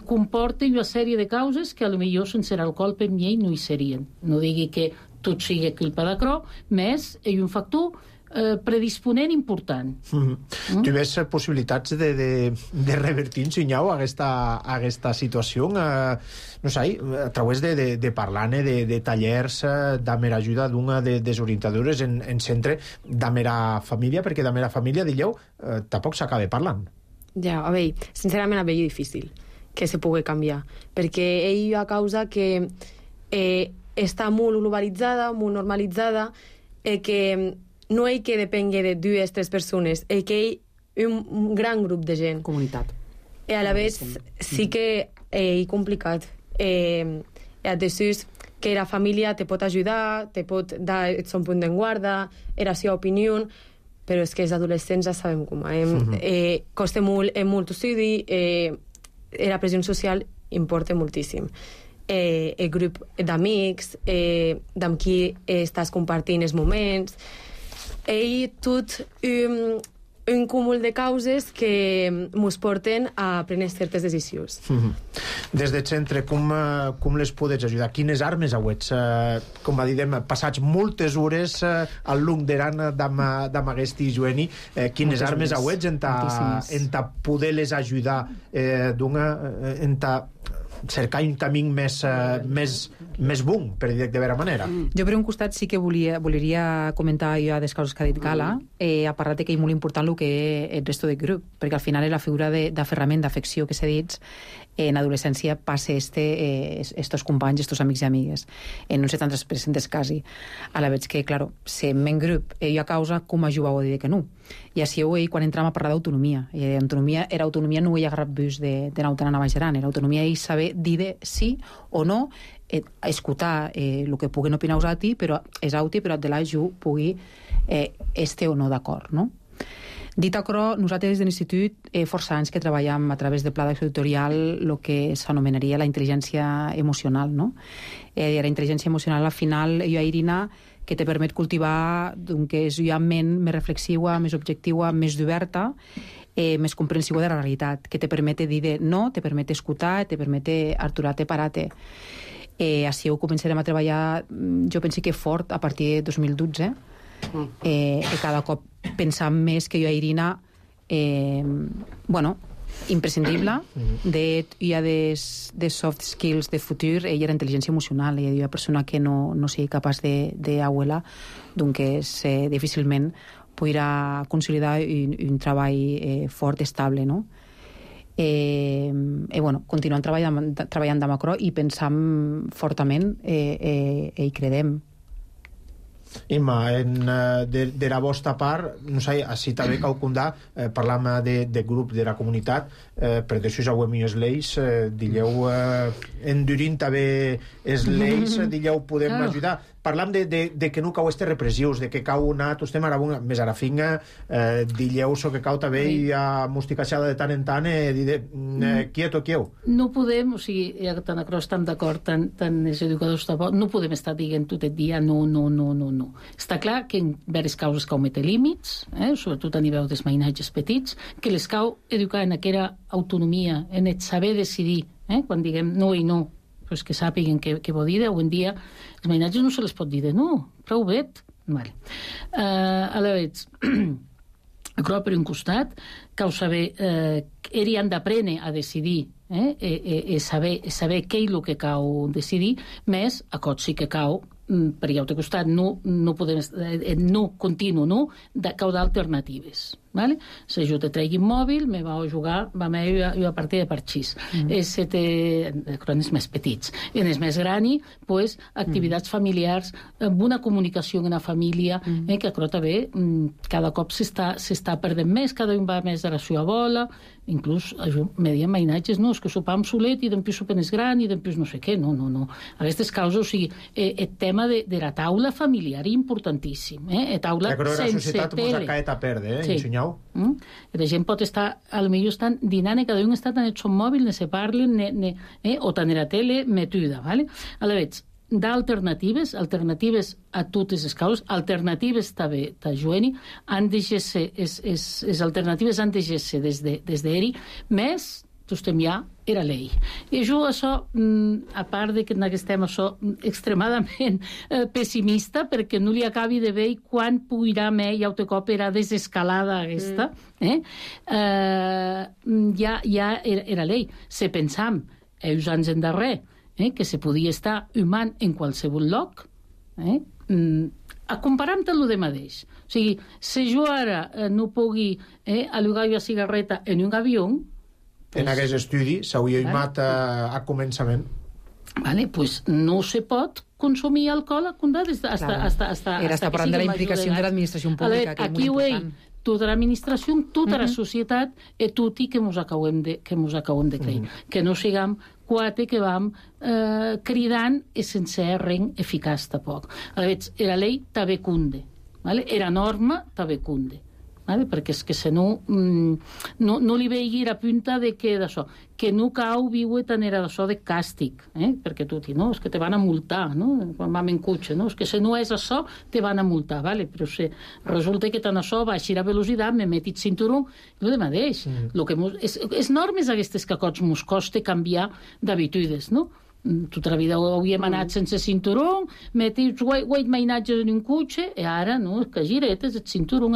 comporta una sèrie de causes que potser sense l'alcohol per mi no hi serien. No digui que tot sigui culpa d'acrò, més hi ha un factor predisponent important. Tu veus possibilitats de revertir, Sinyau, aquesta situació? No sé, a través de parlar-ne de tallers, d'amor ajuda d'una de les orientadores en centre d'amor família, perquè d'amor família, digueu, tampoc s'acaba parlant. Ja, a veure, sincerament a veure difícil que se pugui canviar, perquè ell a causa que està molt globalitzada, molt normalitzada, que no hi que depengui de 2 o 3 persones, que hi un gran grup de gent. Comunitat. I a la vez sí que és complicat. Després que la família te pot ajudar, te pot dar el seu punt de guarda, la seva opinió, però és que els adolescents ja sabem com. Costa molt estudi, la pressió social importa moltíssim. El grup d'amics, amb qui estàs compartint els moments, i tot un cúmul de causes que ens porten a prendre certes decisions. Des del centre, com les podets ajudar? Quines armes auets? Com va dir, passats moltes hores al lung d'Eran d'Amaguesti i Joeni, quines armes auets en ta poder-les ajudar en ta cercar un camí més bon, per dir de vera manera. Jo, per un costat, sí que voleria comentar jo des causes que ha dit Gala, ha parlat que és molt important el que és el resto del grup, perquè al final és la figura d'aferrament, d'afecció que s'ha dit, en adolescència passa estos companys, estos amics i amigues, en un 70% dels casos. A la veig que, claro, si en grup jo a causa, com ajudau a dir que no? I així quan entram a parlar d'autonomia. Era autonomia no ho he agarrat bus de nautar a Navajaran, era autonomia i saber dir sí o no, escoltar el que puguen opinar a ti, però és auti, però de la jo pugui este o no d'acord, no? Dit això, nosaltres des de l'Institut força anys que treballem a través del pla d'acció editorial el que s'anomenaria la intel·ligència emocional, no? La intel·ligència emocional, al final, jo, Irina, que te permet cultivar que és una ment més reflexiva, més objectiva, més oberta, més comprensiva de la realitat, que te permet dir de no, te permet escoltar, te permet aturar-te, parar-te. Així ho començarem a treballar, jo penso que fort, a partir de 2012, cada cop pensant més que jo, Irina, imprescindible hi ha de soft skills de futur, ella era intel·ligència emocional, ella és una persona que no sigui capaç d'abuela, doncs difícilment podrà consolidar un treball fort, estable, no? Continuem treballant de macro i pensam fortament i credem. Imma, de la vostra part, no sé, així també cal condar, parlam de grup de la comunitat, per d'això ja ho hem les lleis, digueu, endurint també les lleis, digueu, podem ajudar. Parlam de que no cau este repressius, de que cau una, tu estem ara més a la finga, digueu, so que cau també i a musticachada de tant en tant, quieto. No podem, o sigui, tant a Cros, tant d'acord, tant els educadors tampoc, no podem estar dient tot el dia no. Està clar que en diverses causes cau metre límits, sobretot a nivell dels mainatges petits, que les cau educar en aquella autonomia, en el saber decidir, quan diguem no i no, pues que sàpiguen què vol dir. Avui en dia els mainatges no se les pot dir de no, prou bé. Vale. A la vegada, però per un costat, cal saber que han d'aprendre a decidir, saber què és el que cal decidir, més a cot sí que cal, per altre costat, no podem, no continu, no, cau d'alternatives. Vale? Si jo te tregui un mòbil, me va a jugar, va a partir de parxís. En els més petits. En els més grans, pues, activitats familiars, amb una comunicació en la família, que també cada cop s'està perdent més, cada un va més de la seva bola, inclús me diuen mainatges, no, és que sopam solet i després sopen és gran i després no sé què, no. Aquestes causes, o sigui, el tema de la taula familiar és importantíssim, taula sense tele. La societat mos ha caet a perdre, ensenyau. La gent pot estar, potser estan dinant i cada un està en el seu mòbil, ne se parlen, o tant en la tele, metuda, vale? A la vegada, d'alternatives a totes les causes, alternatives també, Joeni, han de ser, les alternatives han de ser des d'eri, més, tu estem ja, era llei. I jo, això, a part de que en aquest tema soc extremadament pessimista, perquè no li acabi de veure quan puirà més i altre cop era desescalada aquesta, ja era llei. Se pensam, uns anys endarrer, que se podia estar humant en qualsevol lloc, a comparar-te-lo de mateix. O sigui, si jo ara no pugui allugar una cigarreta en un avió, en aquest estudi s'hauria imat a començament. Pues no se pot consumir alcohol a condades hasta era parlant de la implicació de l'administració pública, que és molt important. Tota l'administració, tota la societat e tutti que mos acabem de creir. Que no siguem quatre que vam cridant e sense res eficaç tampoc. Era llei també cunde, era norma també cunde. Perquè és que si no li veigui la punta de que d'això, que no cau viure tant era d'això de càstig, perquè tutti, no? És que te van a multar, no? Quan vam en cotxe, no? És que si no és això, te van a multar, vale? Però si resulta que tant això baixi la velocitat, me metit cinturó, és el mateix. És normes aquestes que a cots mos costa canviar d'habitudes, no? Tota la vida hauríem anat sense cinturó, metits 8 mainatges en un cotxe, i ara, no, que giretes, el cinturó...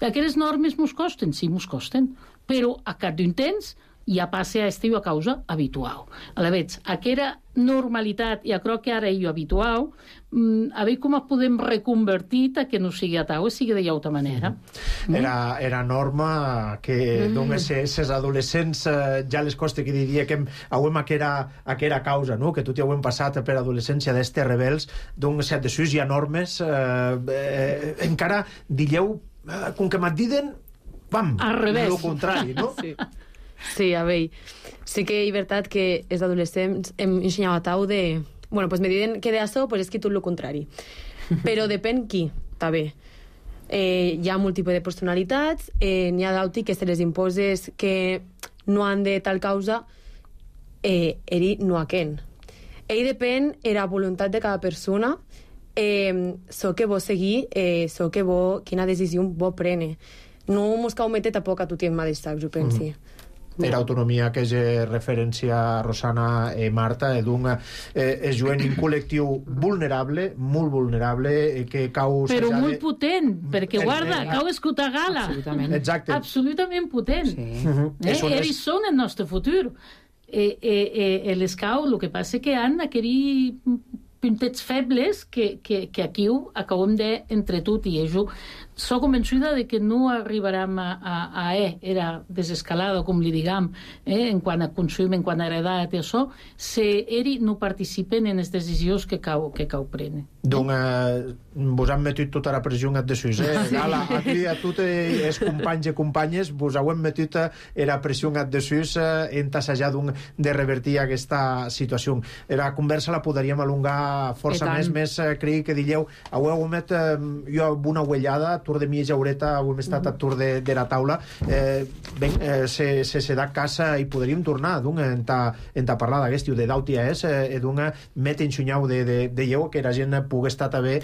Aquelles normes mos costen, sí, mos costen, però a cap d'un temps ja passa a estiu a causa habitual. Aleshores, aquella normalitat, i crec que ara és habitual, a veure com podem reconvertir que no sigui a tau, sigui de llauta manera. Era norma que ses adolescents ja les costa que diria que hauem aquera causa, no? Que tot ja ho hem passat per adolescència d'este rebels, d'un set de sus hi ha normes encara dieu com que m'adiden al revés, el contrari, no? Sí, a veure, sí que és veritat que els adolescents hem ensenyat a tau de... Bueno, pues me diuen que d'això pues és que tot el contrari. Però depèn qui, també. Hi ha múltiple de personalitats, n'hi ha d'auti que se les imposes que no han de tal causa, ell no a quen. Ell depèn de la voluntat de cada persona, so que vol seguir, so que vol, quina decisió vol prene. No mos cau meter tampoc a tot el mateix sac, jo pensi. Era autonomia que és referència Rosana i Marta, és un col·lectiu vulnerable, molt vulnerable, que cau... Però molt potent, perquè guarda, cau escoltar gala. Exacte. Absolutament potent. Ells són el nostre futur. Les cau, el que passa que han aquells puntets febles que aquí acabem d'entre tot i ells. Soc convençuda de que no arribarem a era desescalada, com li diguem, en quant a consum, en quant a edat i això, si ells no participen en les decisions que cau prenen. Donc, vos han metit tota la pressió en desús, Gala, aquí a tots els companys i companyes vos heu metit la pressió en desús en assajar de revertir aquesta situació. La conversa la podríem alongar força més, crec que dieu, heu met jo una uellada, tur de mi i Jaureta, hem estat a tur de la taula, se da casa i podríem tornar en parlar d'aquest, de d'autia és, met ensunyau de lleu, que la gent pugui estar també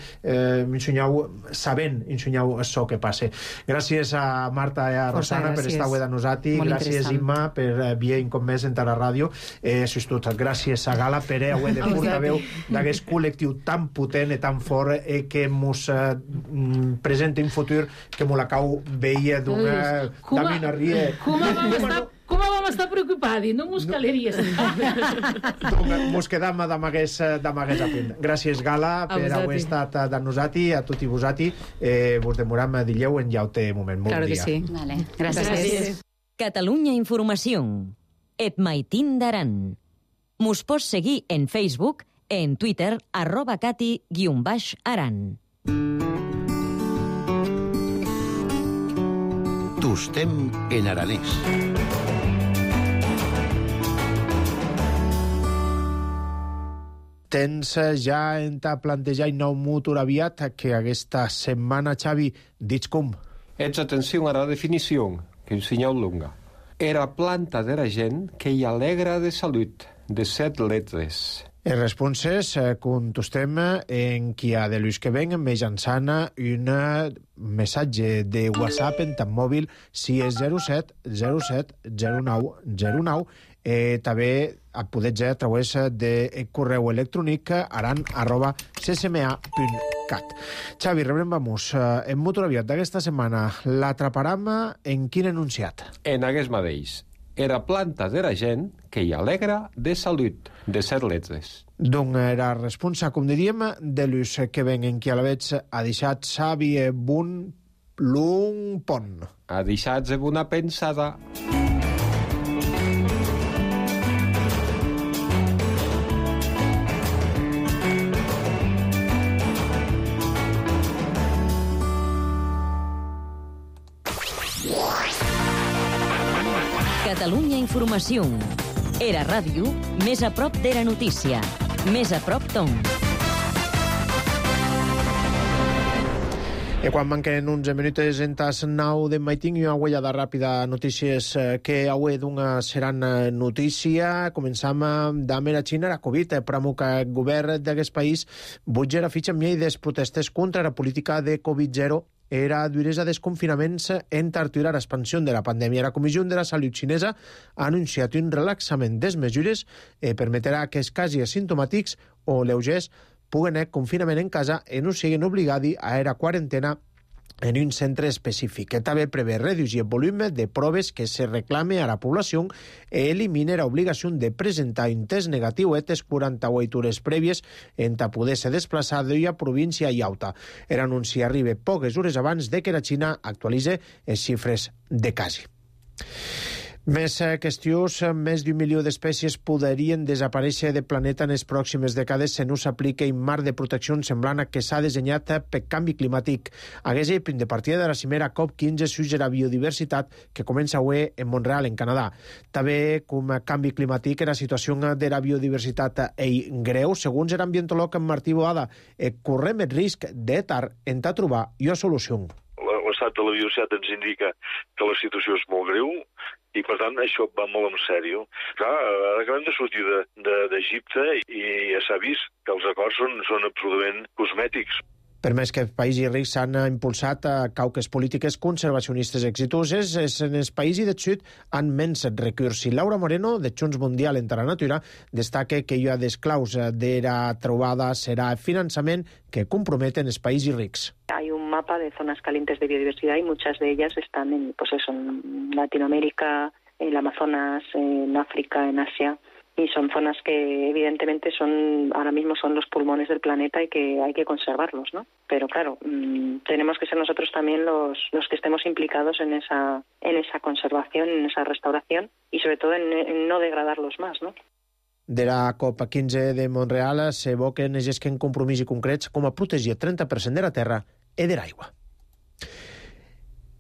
sabent això que passa. Gràcies a Marta i a Rosana per estar avui de nosaltres, gràcies Imma per vir com més en la ràdio, això és tot. Gràcies a Gala per avui de portaveu d'aquest col·lectiu tan potent i tan fort que ens presenta un futur que me la cau veia d'una rie. Com vam estar preocupats? No mos caleries. Mos quedam d'amagués a punt. Gràcies, Gala, per haver estat de nosaltres, a tots i vosaltres. Vos demoram a Dilleu en llaute moment. Bon dia. Vale. Gràcies. Catalunya Informació. Et maitín d'Aran. Mos pots seguir en Facebook, en Twitter, @cati_aran. Tostem en aranès. Tens ja en plantejar un nou motor aviat que aquesta setmana, Xavi, dits com? Ets atenció a la definició, que us senyal longa. Era planta de la gent que hi alegra de salut, de 7 letres. Els responses contestem en qui ha de l'ús que ven mitjançant un missatge de WhatsApp en tant mòbil si és 07 07 09 09. També podeu a través de correu electrònic aran@ccma.cat. Xavi, rebrem-vamos. En motor aviat d'aquesta setmana l'atraparam en quin enunciat? En aquest mateix. Era planta de la gent que hi alegra de salut, de 7 letres. Donc era responsa, com diríem, de l'ús que ven en qui a la veig ha deixat Xavi Bun l'un pont. Ha deixat una pensada. Catalunya Informació. Era ràdio, més a prop d'Era Notícia. Més a prop d'on. I quan manquen 11 minuts en tas 9 de maiting, una uellada ràpida notícies que avui d'una seran notícia. Començam amb la Xina, la Covid, pramo que el govern d'aquest país butger a fitxa amb des protestes contra la política de Covid-0 era duresa desconfinaments en tarturar l'expansió de la pandèmia. La Comissió de la Salut xinesa ha anunciat un relaxament des mesures permetrà que els casos asimptomàtics o lleugers puguen confinament en casa i no siguin obligats a era quarantena en un centre específic. També prevé reduir el volum de proves que se reclame a la població i elimina l'obligació de presentar un test negatiu etes 48 hores prèvies en poder ser desplaçat a província i alta. L'anunci arriba poques hores abans de que la Xina actualitzi les xifres de casos. Més qüestions, més d'1 milió d'espècies podrien desaparèixer del planeta en les pròximes dècades si no s'aplica un marc de protecció semblant a que s'ha dissenyat per canvi climàtic. Aquest punt de partida de la cimera COP15 sobre la biodiversitat que comença avui en Montreal, en Canadà. També, com a canvi climàtic, la situació de la biodiversitat és greu. Segons l'ambientòleg Martí Boada, correm el risc de tard en trobar una solució. L'estat de la biodiversitat ens indica que la situació és molt greu, i, per tant, això va molt en sèrio. Clar, ara acabem de sortir d'Egipte i ja s'ha vist que els acords són absolutament cosmètics. Per més que els països rics s'han impulsat cauques polítiques conservacionistes exitoses, en els països del sud han menys recursos. Laura Moreno, de Junts Mundial en la Natura, destaca que una de les claus de la trobada serà el finançament que comprometen els països rics. Hay un mapa de zonas calientes de biodiversidad y muchas de ellas están en Latinoamérica, en el Amazonas, en África, en Asia. Y son zonas que evidentemente ahora mismo son los pulmones del planeta y que hay que conservarlos, ¿no? Pero claro, tenemos que ser nosotros también los que estemos implicados en esa conservación, en esa restauración y sobre todo en no degradarlos más, ¿no? De la COP15 de Montreal s'evoquen en compromisos concrets com a protegir el 30% de la terra i de l'aigua.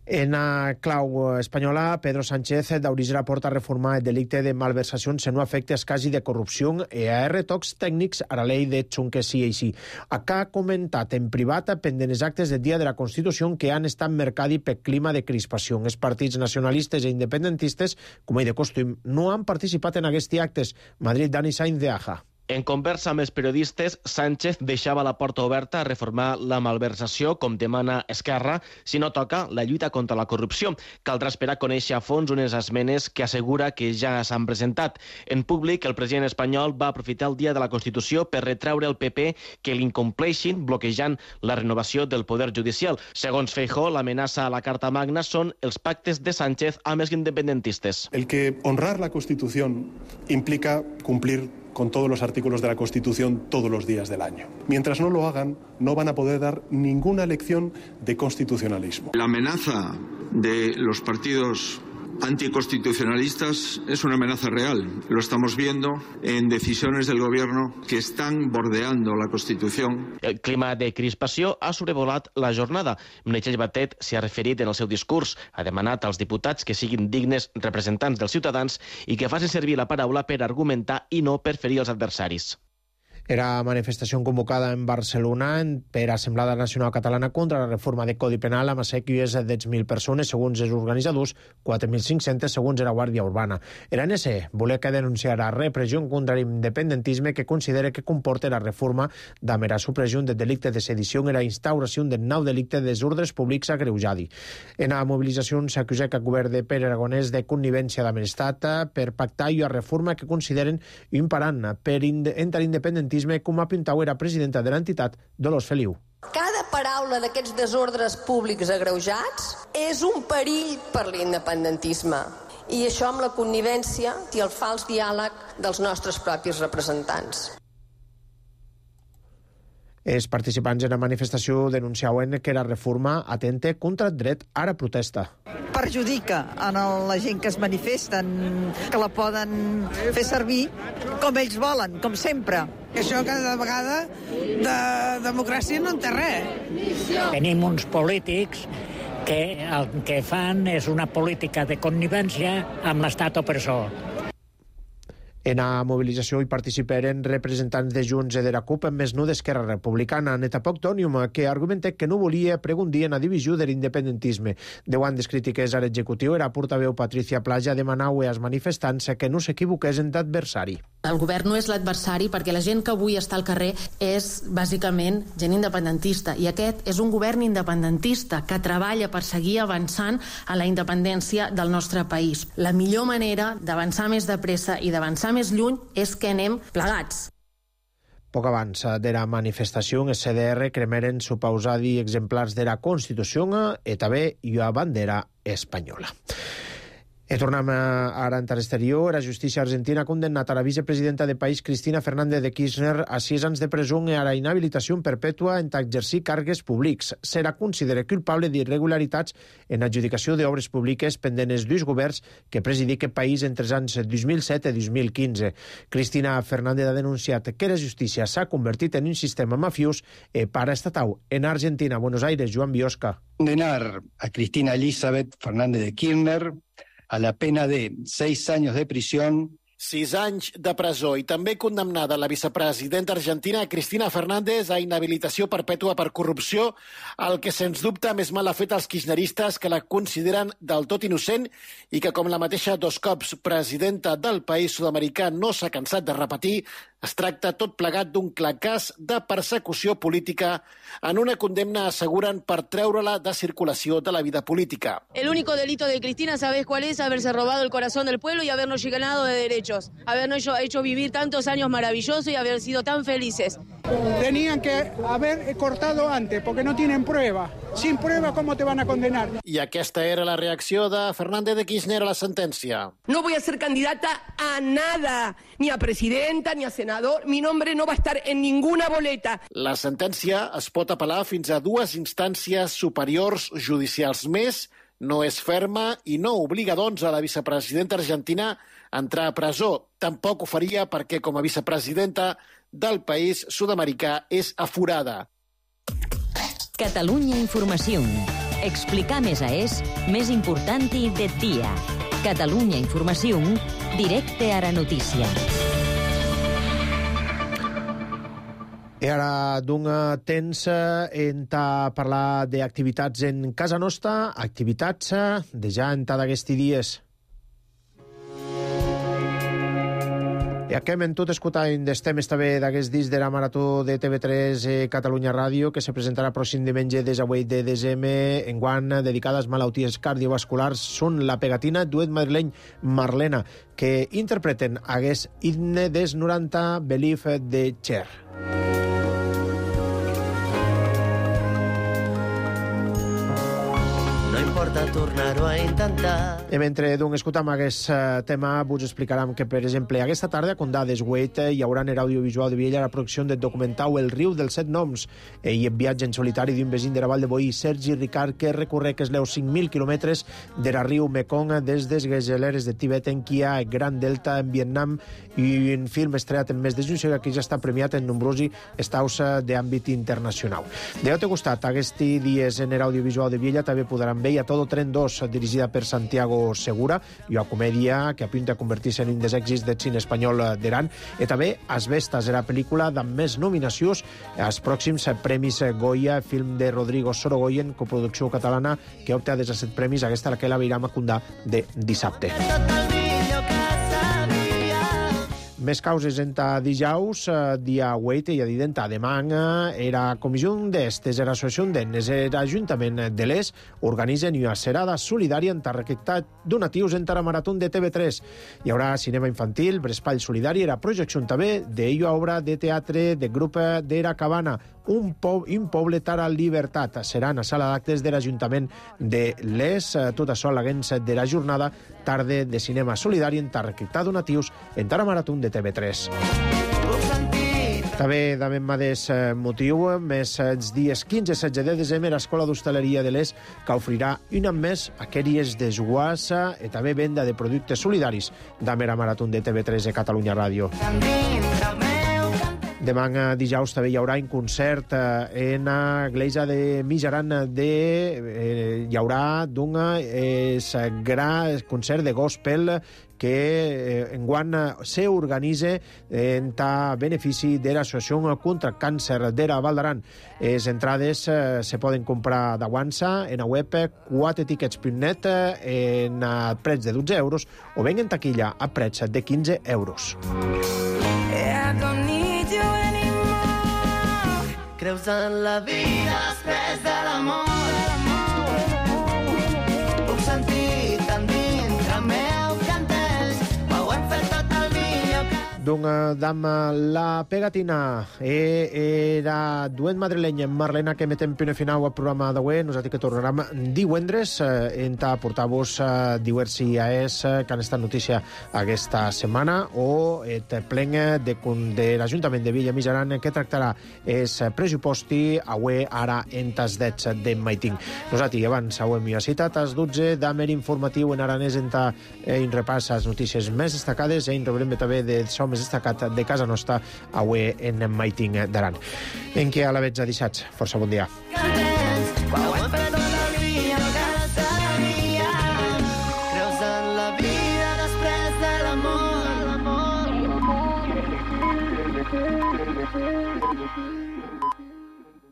En la clau espanyola, Pedro Sánchez d'obrir la porta a reformar el delicte de malversacions en no afecte als casos de corrupció i a retocs tècnics a la llei de xunques sí i sí. Acá ha comentat en privat pendent els actes del dia de la Constitució que han estat marcats per clima de crispació. Els partits nacionalistes i independentistes, com és de costum, no han participat en aquests actes. Madrid, Dani Sainz de Aja. En conversa amb els periodistes, Sánchez deixava la porta oberta a reformar la malversació, com demana Esquerra, si no toca la lluita contra la corrupció. Caldrà esperar a conèixer a fons unes esmenes que assegura que ja s'han presentat. En públic, el president espanyol va aprofitar el dia de la Constitució per retreure al PP que l'incompleixin, bloquejant la renovació del poder judicial. Segons Feijóo, l'amenaça a la Carta Magna són els pactes de Sánchez amb els independentistes. El que honrar la Constitución implica cumplir con todos los artículos de la Constitución todos los días del año. Mientras no lo hagan, no van a poder dar ninguna lección de constitucionalismo. La amenaza de los partidos anticonstitucionalistas es una amenaza real. Lo estamos viendo en decisiones del gobierno que están bordeando la Constitución. El clima de crispació ha sobrevolat la jornada. Meritxell Batet s'hi ha referit en el seu discurs. Ha demanat als diputats que siguin dignes representants dels ciutadans i que facin servir la paraula per argumentar i no per ferir els adversaris. Era manifestació convocada en Barcelona per Assemblada Nacional Catalana contra la reforma de Codi Penal amb assequies de 10.000 persones, segons els organitzadors, 4.500 segons la Guàrdia Urbana. L'ANC volia que denunciar la repressió contra l'independentisme que considera que comporta la reforma amb la supressió del delicte de sedició i la instauració del nou delicte de desordres públics agreujadi. En la mobilització s'acusa que el govern de Pere Aragonès de connivència amb l'Estat per pactar una reforma que consideren un parant per entrar independentisme, com apuntava la presidenta de l'entitat, Dolors Feliu. Cada paraula d'aquests desordres públics agreujats és un perill per l'independentisme. I això amb la connivència i el fals diàleg dels nostres propis representants. Els participants en la manifestació denunciaven que la reforma atenta contra el dret a la protesta. Perjudica a la gent que es manifesten, que la poden fer servir com ells volen, com sempre. Això cada vegada de democràcia no en té res. Tenim uns polítics que el que fan és una política de connivència amb l'estat opressor. En la mobilització hi participaren representants de Junts i de la CUP, més no d'Esquerra Republicana, Neta Poctònium, que argumenta que no volia pregundir en la divisió de l'independentisme. 10 anys crítiques a l'executiu, era portaveu Patricia Plaja demanau als manifestants que no s'equivoquessin d'adversari. El govern no és l'adversari perquè la gent que avui està al carrer és bàsicament gent independentista, i aquest és un govern independentista que treballa per seguir avançant a la independència del nostre país. La millor manera d'avançar més de pressa i d'avançar més lluny és que anem plegats. Poc abans de la manifestació, en CDR cremaren supausadi exemplars de la Constitució i també la bandera espanyola. I tornem ara en l'exterior. La justícia argentina ha condemnat a la vicepresidenta de país Cristina Fernández de Kirchner a 6 anys de presó i a la inhabilitació perpètua en exercir càrrecs públics. Serà considerat culpable d'irregularitats en adjudicació d'obres públiques pendents dels governs que presidí aquest país entre els anys 2007 i 2015. Cristina Fernández ha denunciat que la justícia s'ha convertit en un sistema mafiós i paraestatal. En Argentina, Buenos Aires, Joan Biosca. Condenar a Cristina Elizabeth Fernández de Kirchner a la pena de 6 años de prisión. 6 anys de presó i també condemnada la vicepresidenta argentina Cristina Fernández a inhabilitació perpètua per corrupció, el que sens dubte més mal ha fet als kirchneristes, que la consideren del tot innocent i que, com la mateixa 2 cops presidenta del país sud-americà no s'ha cansat de repetir, es tracta tot plegat d'un clar cas de persecució política en una condemna, aseguren, per treure-la de circulació de la vida política. El único delito de Cristina, ¿sabes cuál es? Haberse robado el corazón del pueblo y habernos llenado de derechos. Habernos hecho vivir tantos años maravillosos y haber sido tan felices. Tenían que haber cortado antes, porque no tienen prueba. Sin prueba, ¿cómo te van a condenar? I aquesta era la reacció de Fernández de Kirchner a la sentència. No voy a ser candidata a nada, ni a presidenta, ni a senador. Mi nombre no va a estar en ninguna boleta. La sentència es pot apel·lar fins a 2 instàncies superiors judicials més, no és ferma i no obliga, doncs, a la vicepresidenta argentina a entrar a presó. Tampoc ho faria perquè, com a vicepresidenta del país sud-americà, és aforada. Catalunya Informació. Explicar més més important del dia. Catalunya Informació, directe a la notícia. I ara d'un temps en parlar d'activitats en casa nostra, activitats de ja en d'aquests dies. I acabem tot escoltant dels temes també d'aquests dies de la marató de TV3 Catalunya Ràdio, que se presentarà pròxim diumenge des de desembre, enguany dedicades a malalties cardiovasculars. Són la pegatina, duet madrileny Marlena, que interpreten aquest himne des 90 Believe de Cher. Tornar-ho a intentar. I mentre escoltam aquest tema, vos explicarem que, per exemple, aquesta tarda a Condà d'Esguet hi haurà en l'audiovisual de Viella la producció del documental El riu dels 7 noms i el viatge en solitari d'un vecí de la Vall de Boí, Sergi Ricard, que recorre que es leu 5.000 quilòmetres de la riu Mekong des des geleres de Tibet en Kia, Gran Delta en Vietnam, i un film estrenat en mes de juny que ja està premiat en nombrosos estaus d'àmbit internacional. D'altre costat, aquests dies en l'audiovisual de Viella també podran veure a Todo Tren 2, dirigida per Santiago Segura, i una comèdia que apunta a convertir-se en un dels èxits del cine espanyol d'Iran, i també Asbestas, la pel·lícula amb més nominacions als pròxims premis Goya, film de Rodrigo Sorogoyen, coproducció catalana, que opta des de 7 premis, aquesta la que la veurem a Condà de dissabte. Més causes enta dijous, dia 8 i a didenta demà, era comissió d'estes, era associació d'ennes, era Ajuntament de l'Es, organitzen una serada solidària en recaptar donatius en la marató de TV3. Hi haurà cinema infantil, Brespall Solidari, era projecció també d'ella obra de teatre de grup de la Cabana, un poble tara libertat. Serà en la sala d'actes de l'Ajuntament de l'Es. Tot això a l'agents de la jornada tarda de cinema solidari en recaptar donatius en la marató de TV3. També d'avem mateix motiu, més els dies 15 i 16 de desembre, l'Escola d'Hostaleria de l'Es, que ofrirà un any més aquelles desguassa i també venda de productes solidaris de la marató de TV3 de Catalunya Ràdio. Demà dijous també hi haurà un concert en l'església de Mijaran hi haurà d'un gran concert de gospel que enguany s'organitza en benefici de l'Associació contra el Càncer de la Val d'Aran. Les entrades se poden comprar d'aguança en la web 4tickets.net en preig de 12 euros o ben en taquilla a preig de 15 euros. Creus en la vida després de l'amor? Puc sentir tan dintre meu que entens, ho hem fet tot el millor que... D'un dam la pegatina era duent madrileny Marlena que metem punt final al programa d'avui. Nosaltres que tornarem divendres en portar-vos diversi AES que han estat notícia aquesta setmana o et plen de l'Ajuntament de Villa Mijaran que tractarà els pressuposti avui ara en tas dets de Maiting. Nosaltres abans hem citat als 12 d'Amer informatiu en aranès en repàs les notícies més destacades i en rebrem també de som més destacat de casa nostra avui en Maiting d'Aran. En què a la veig a dissats. Força bon dia.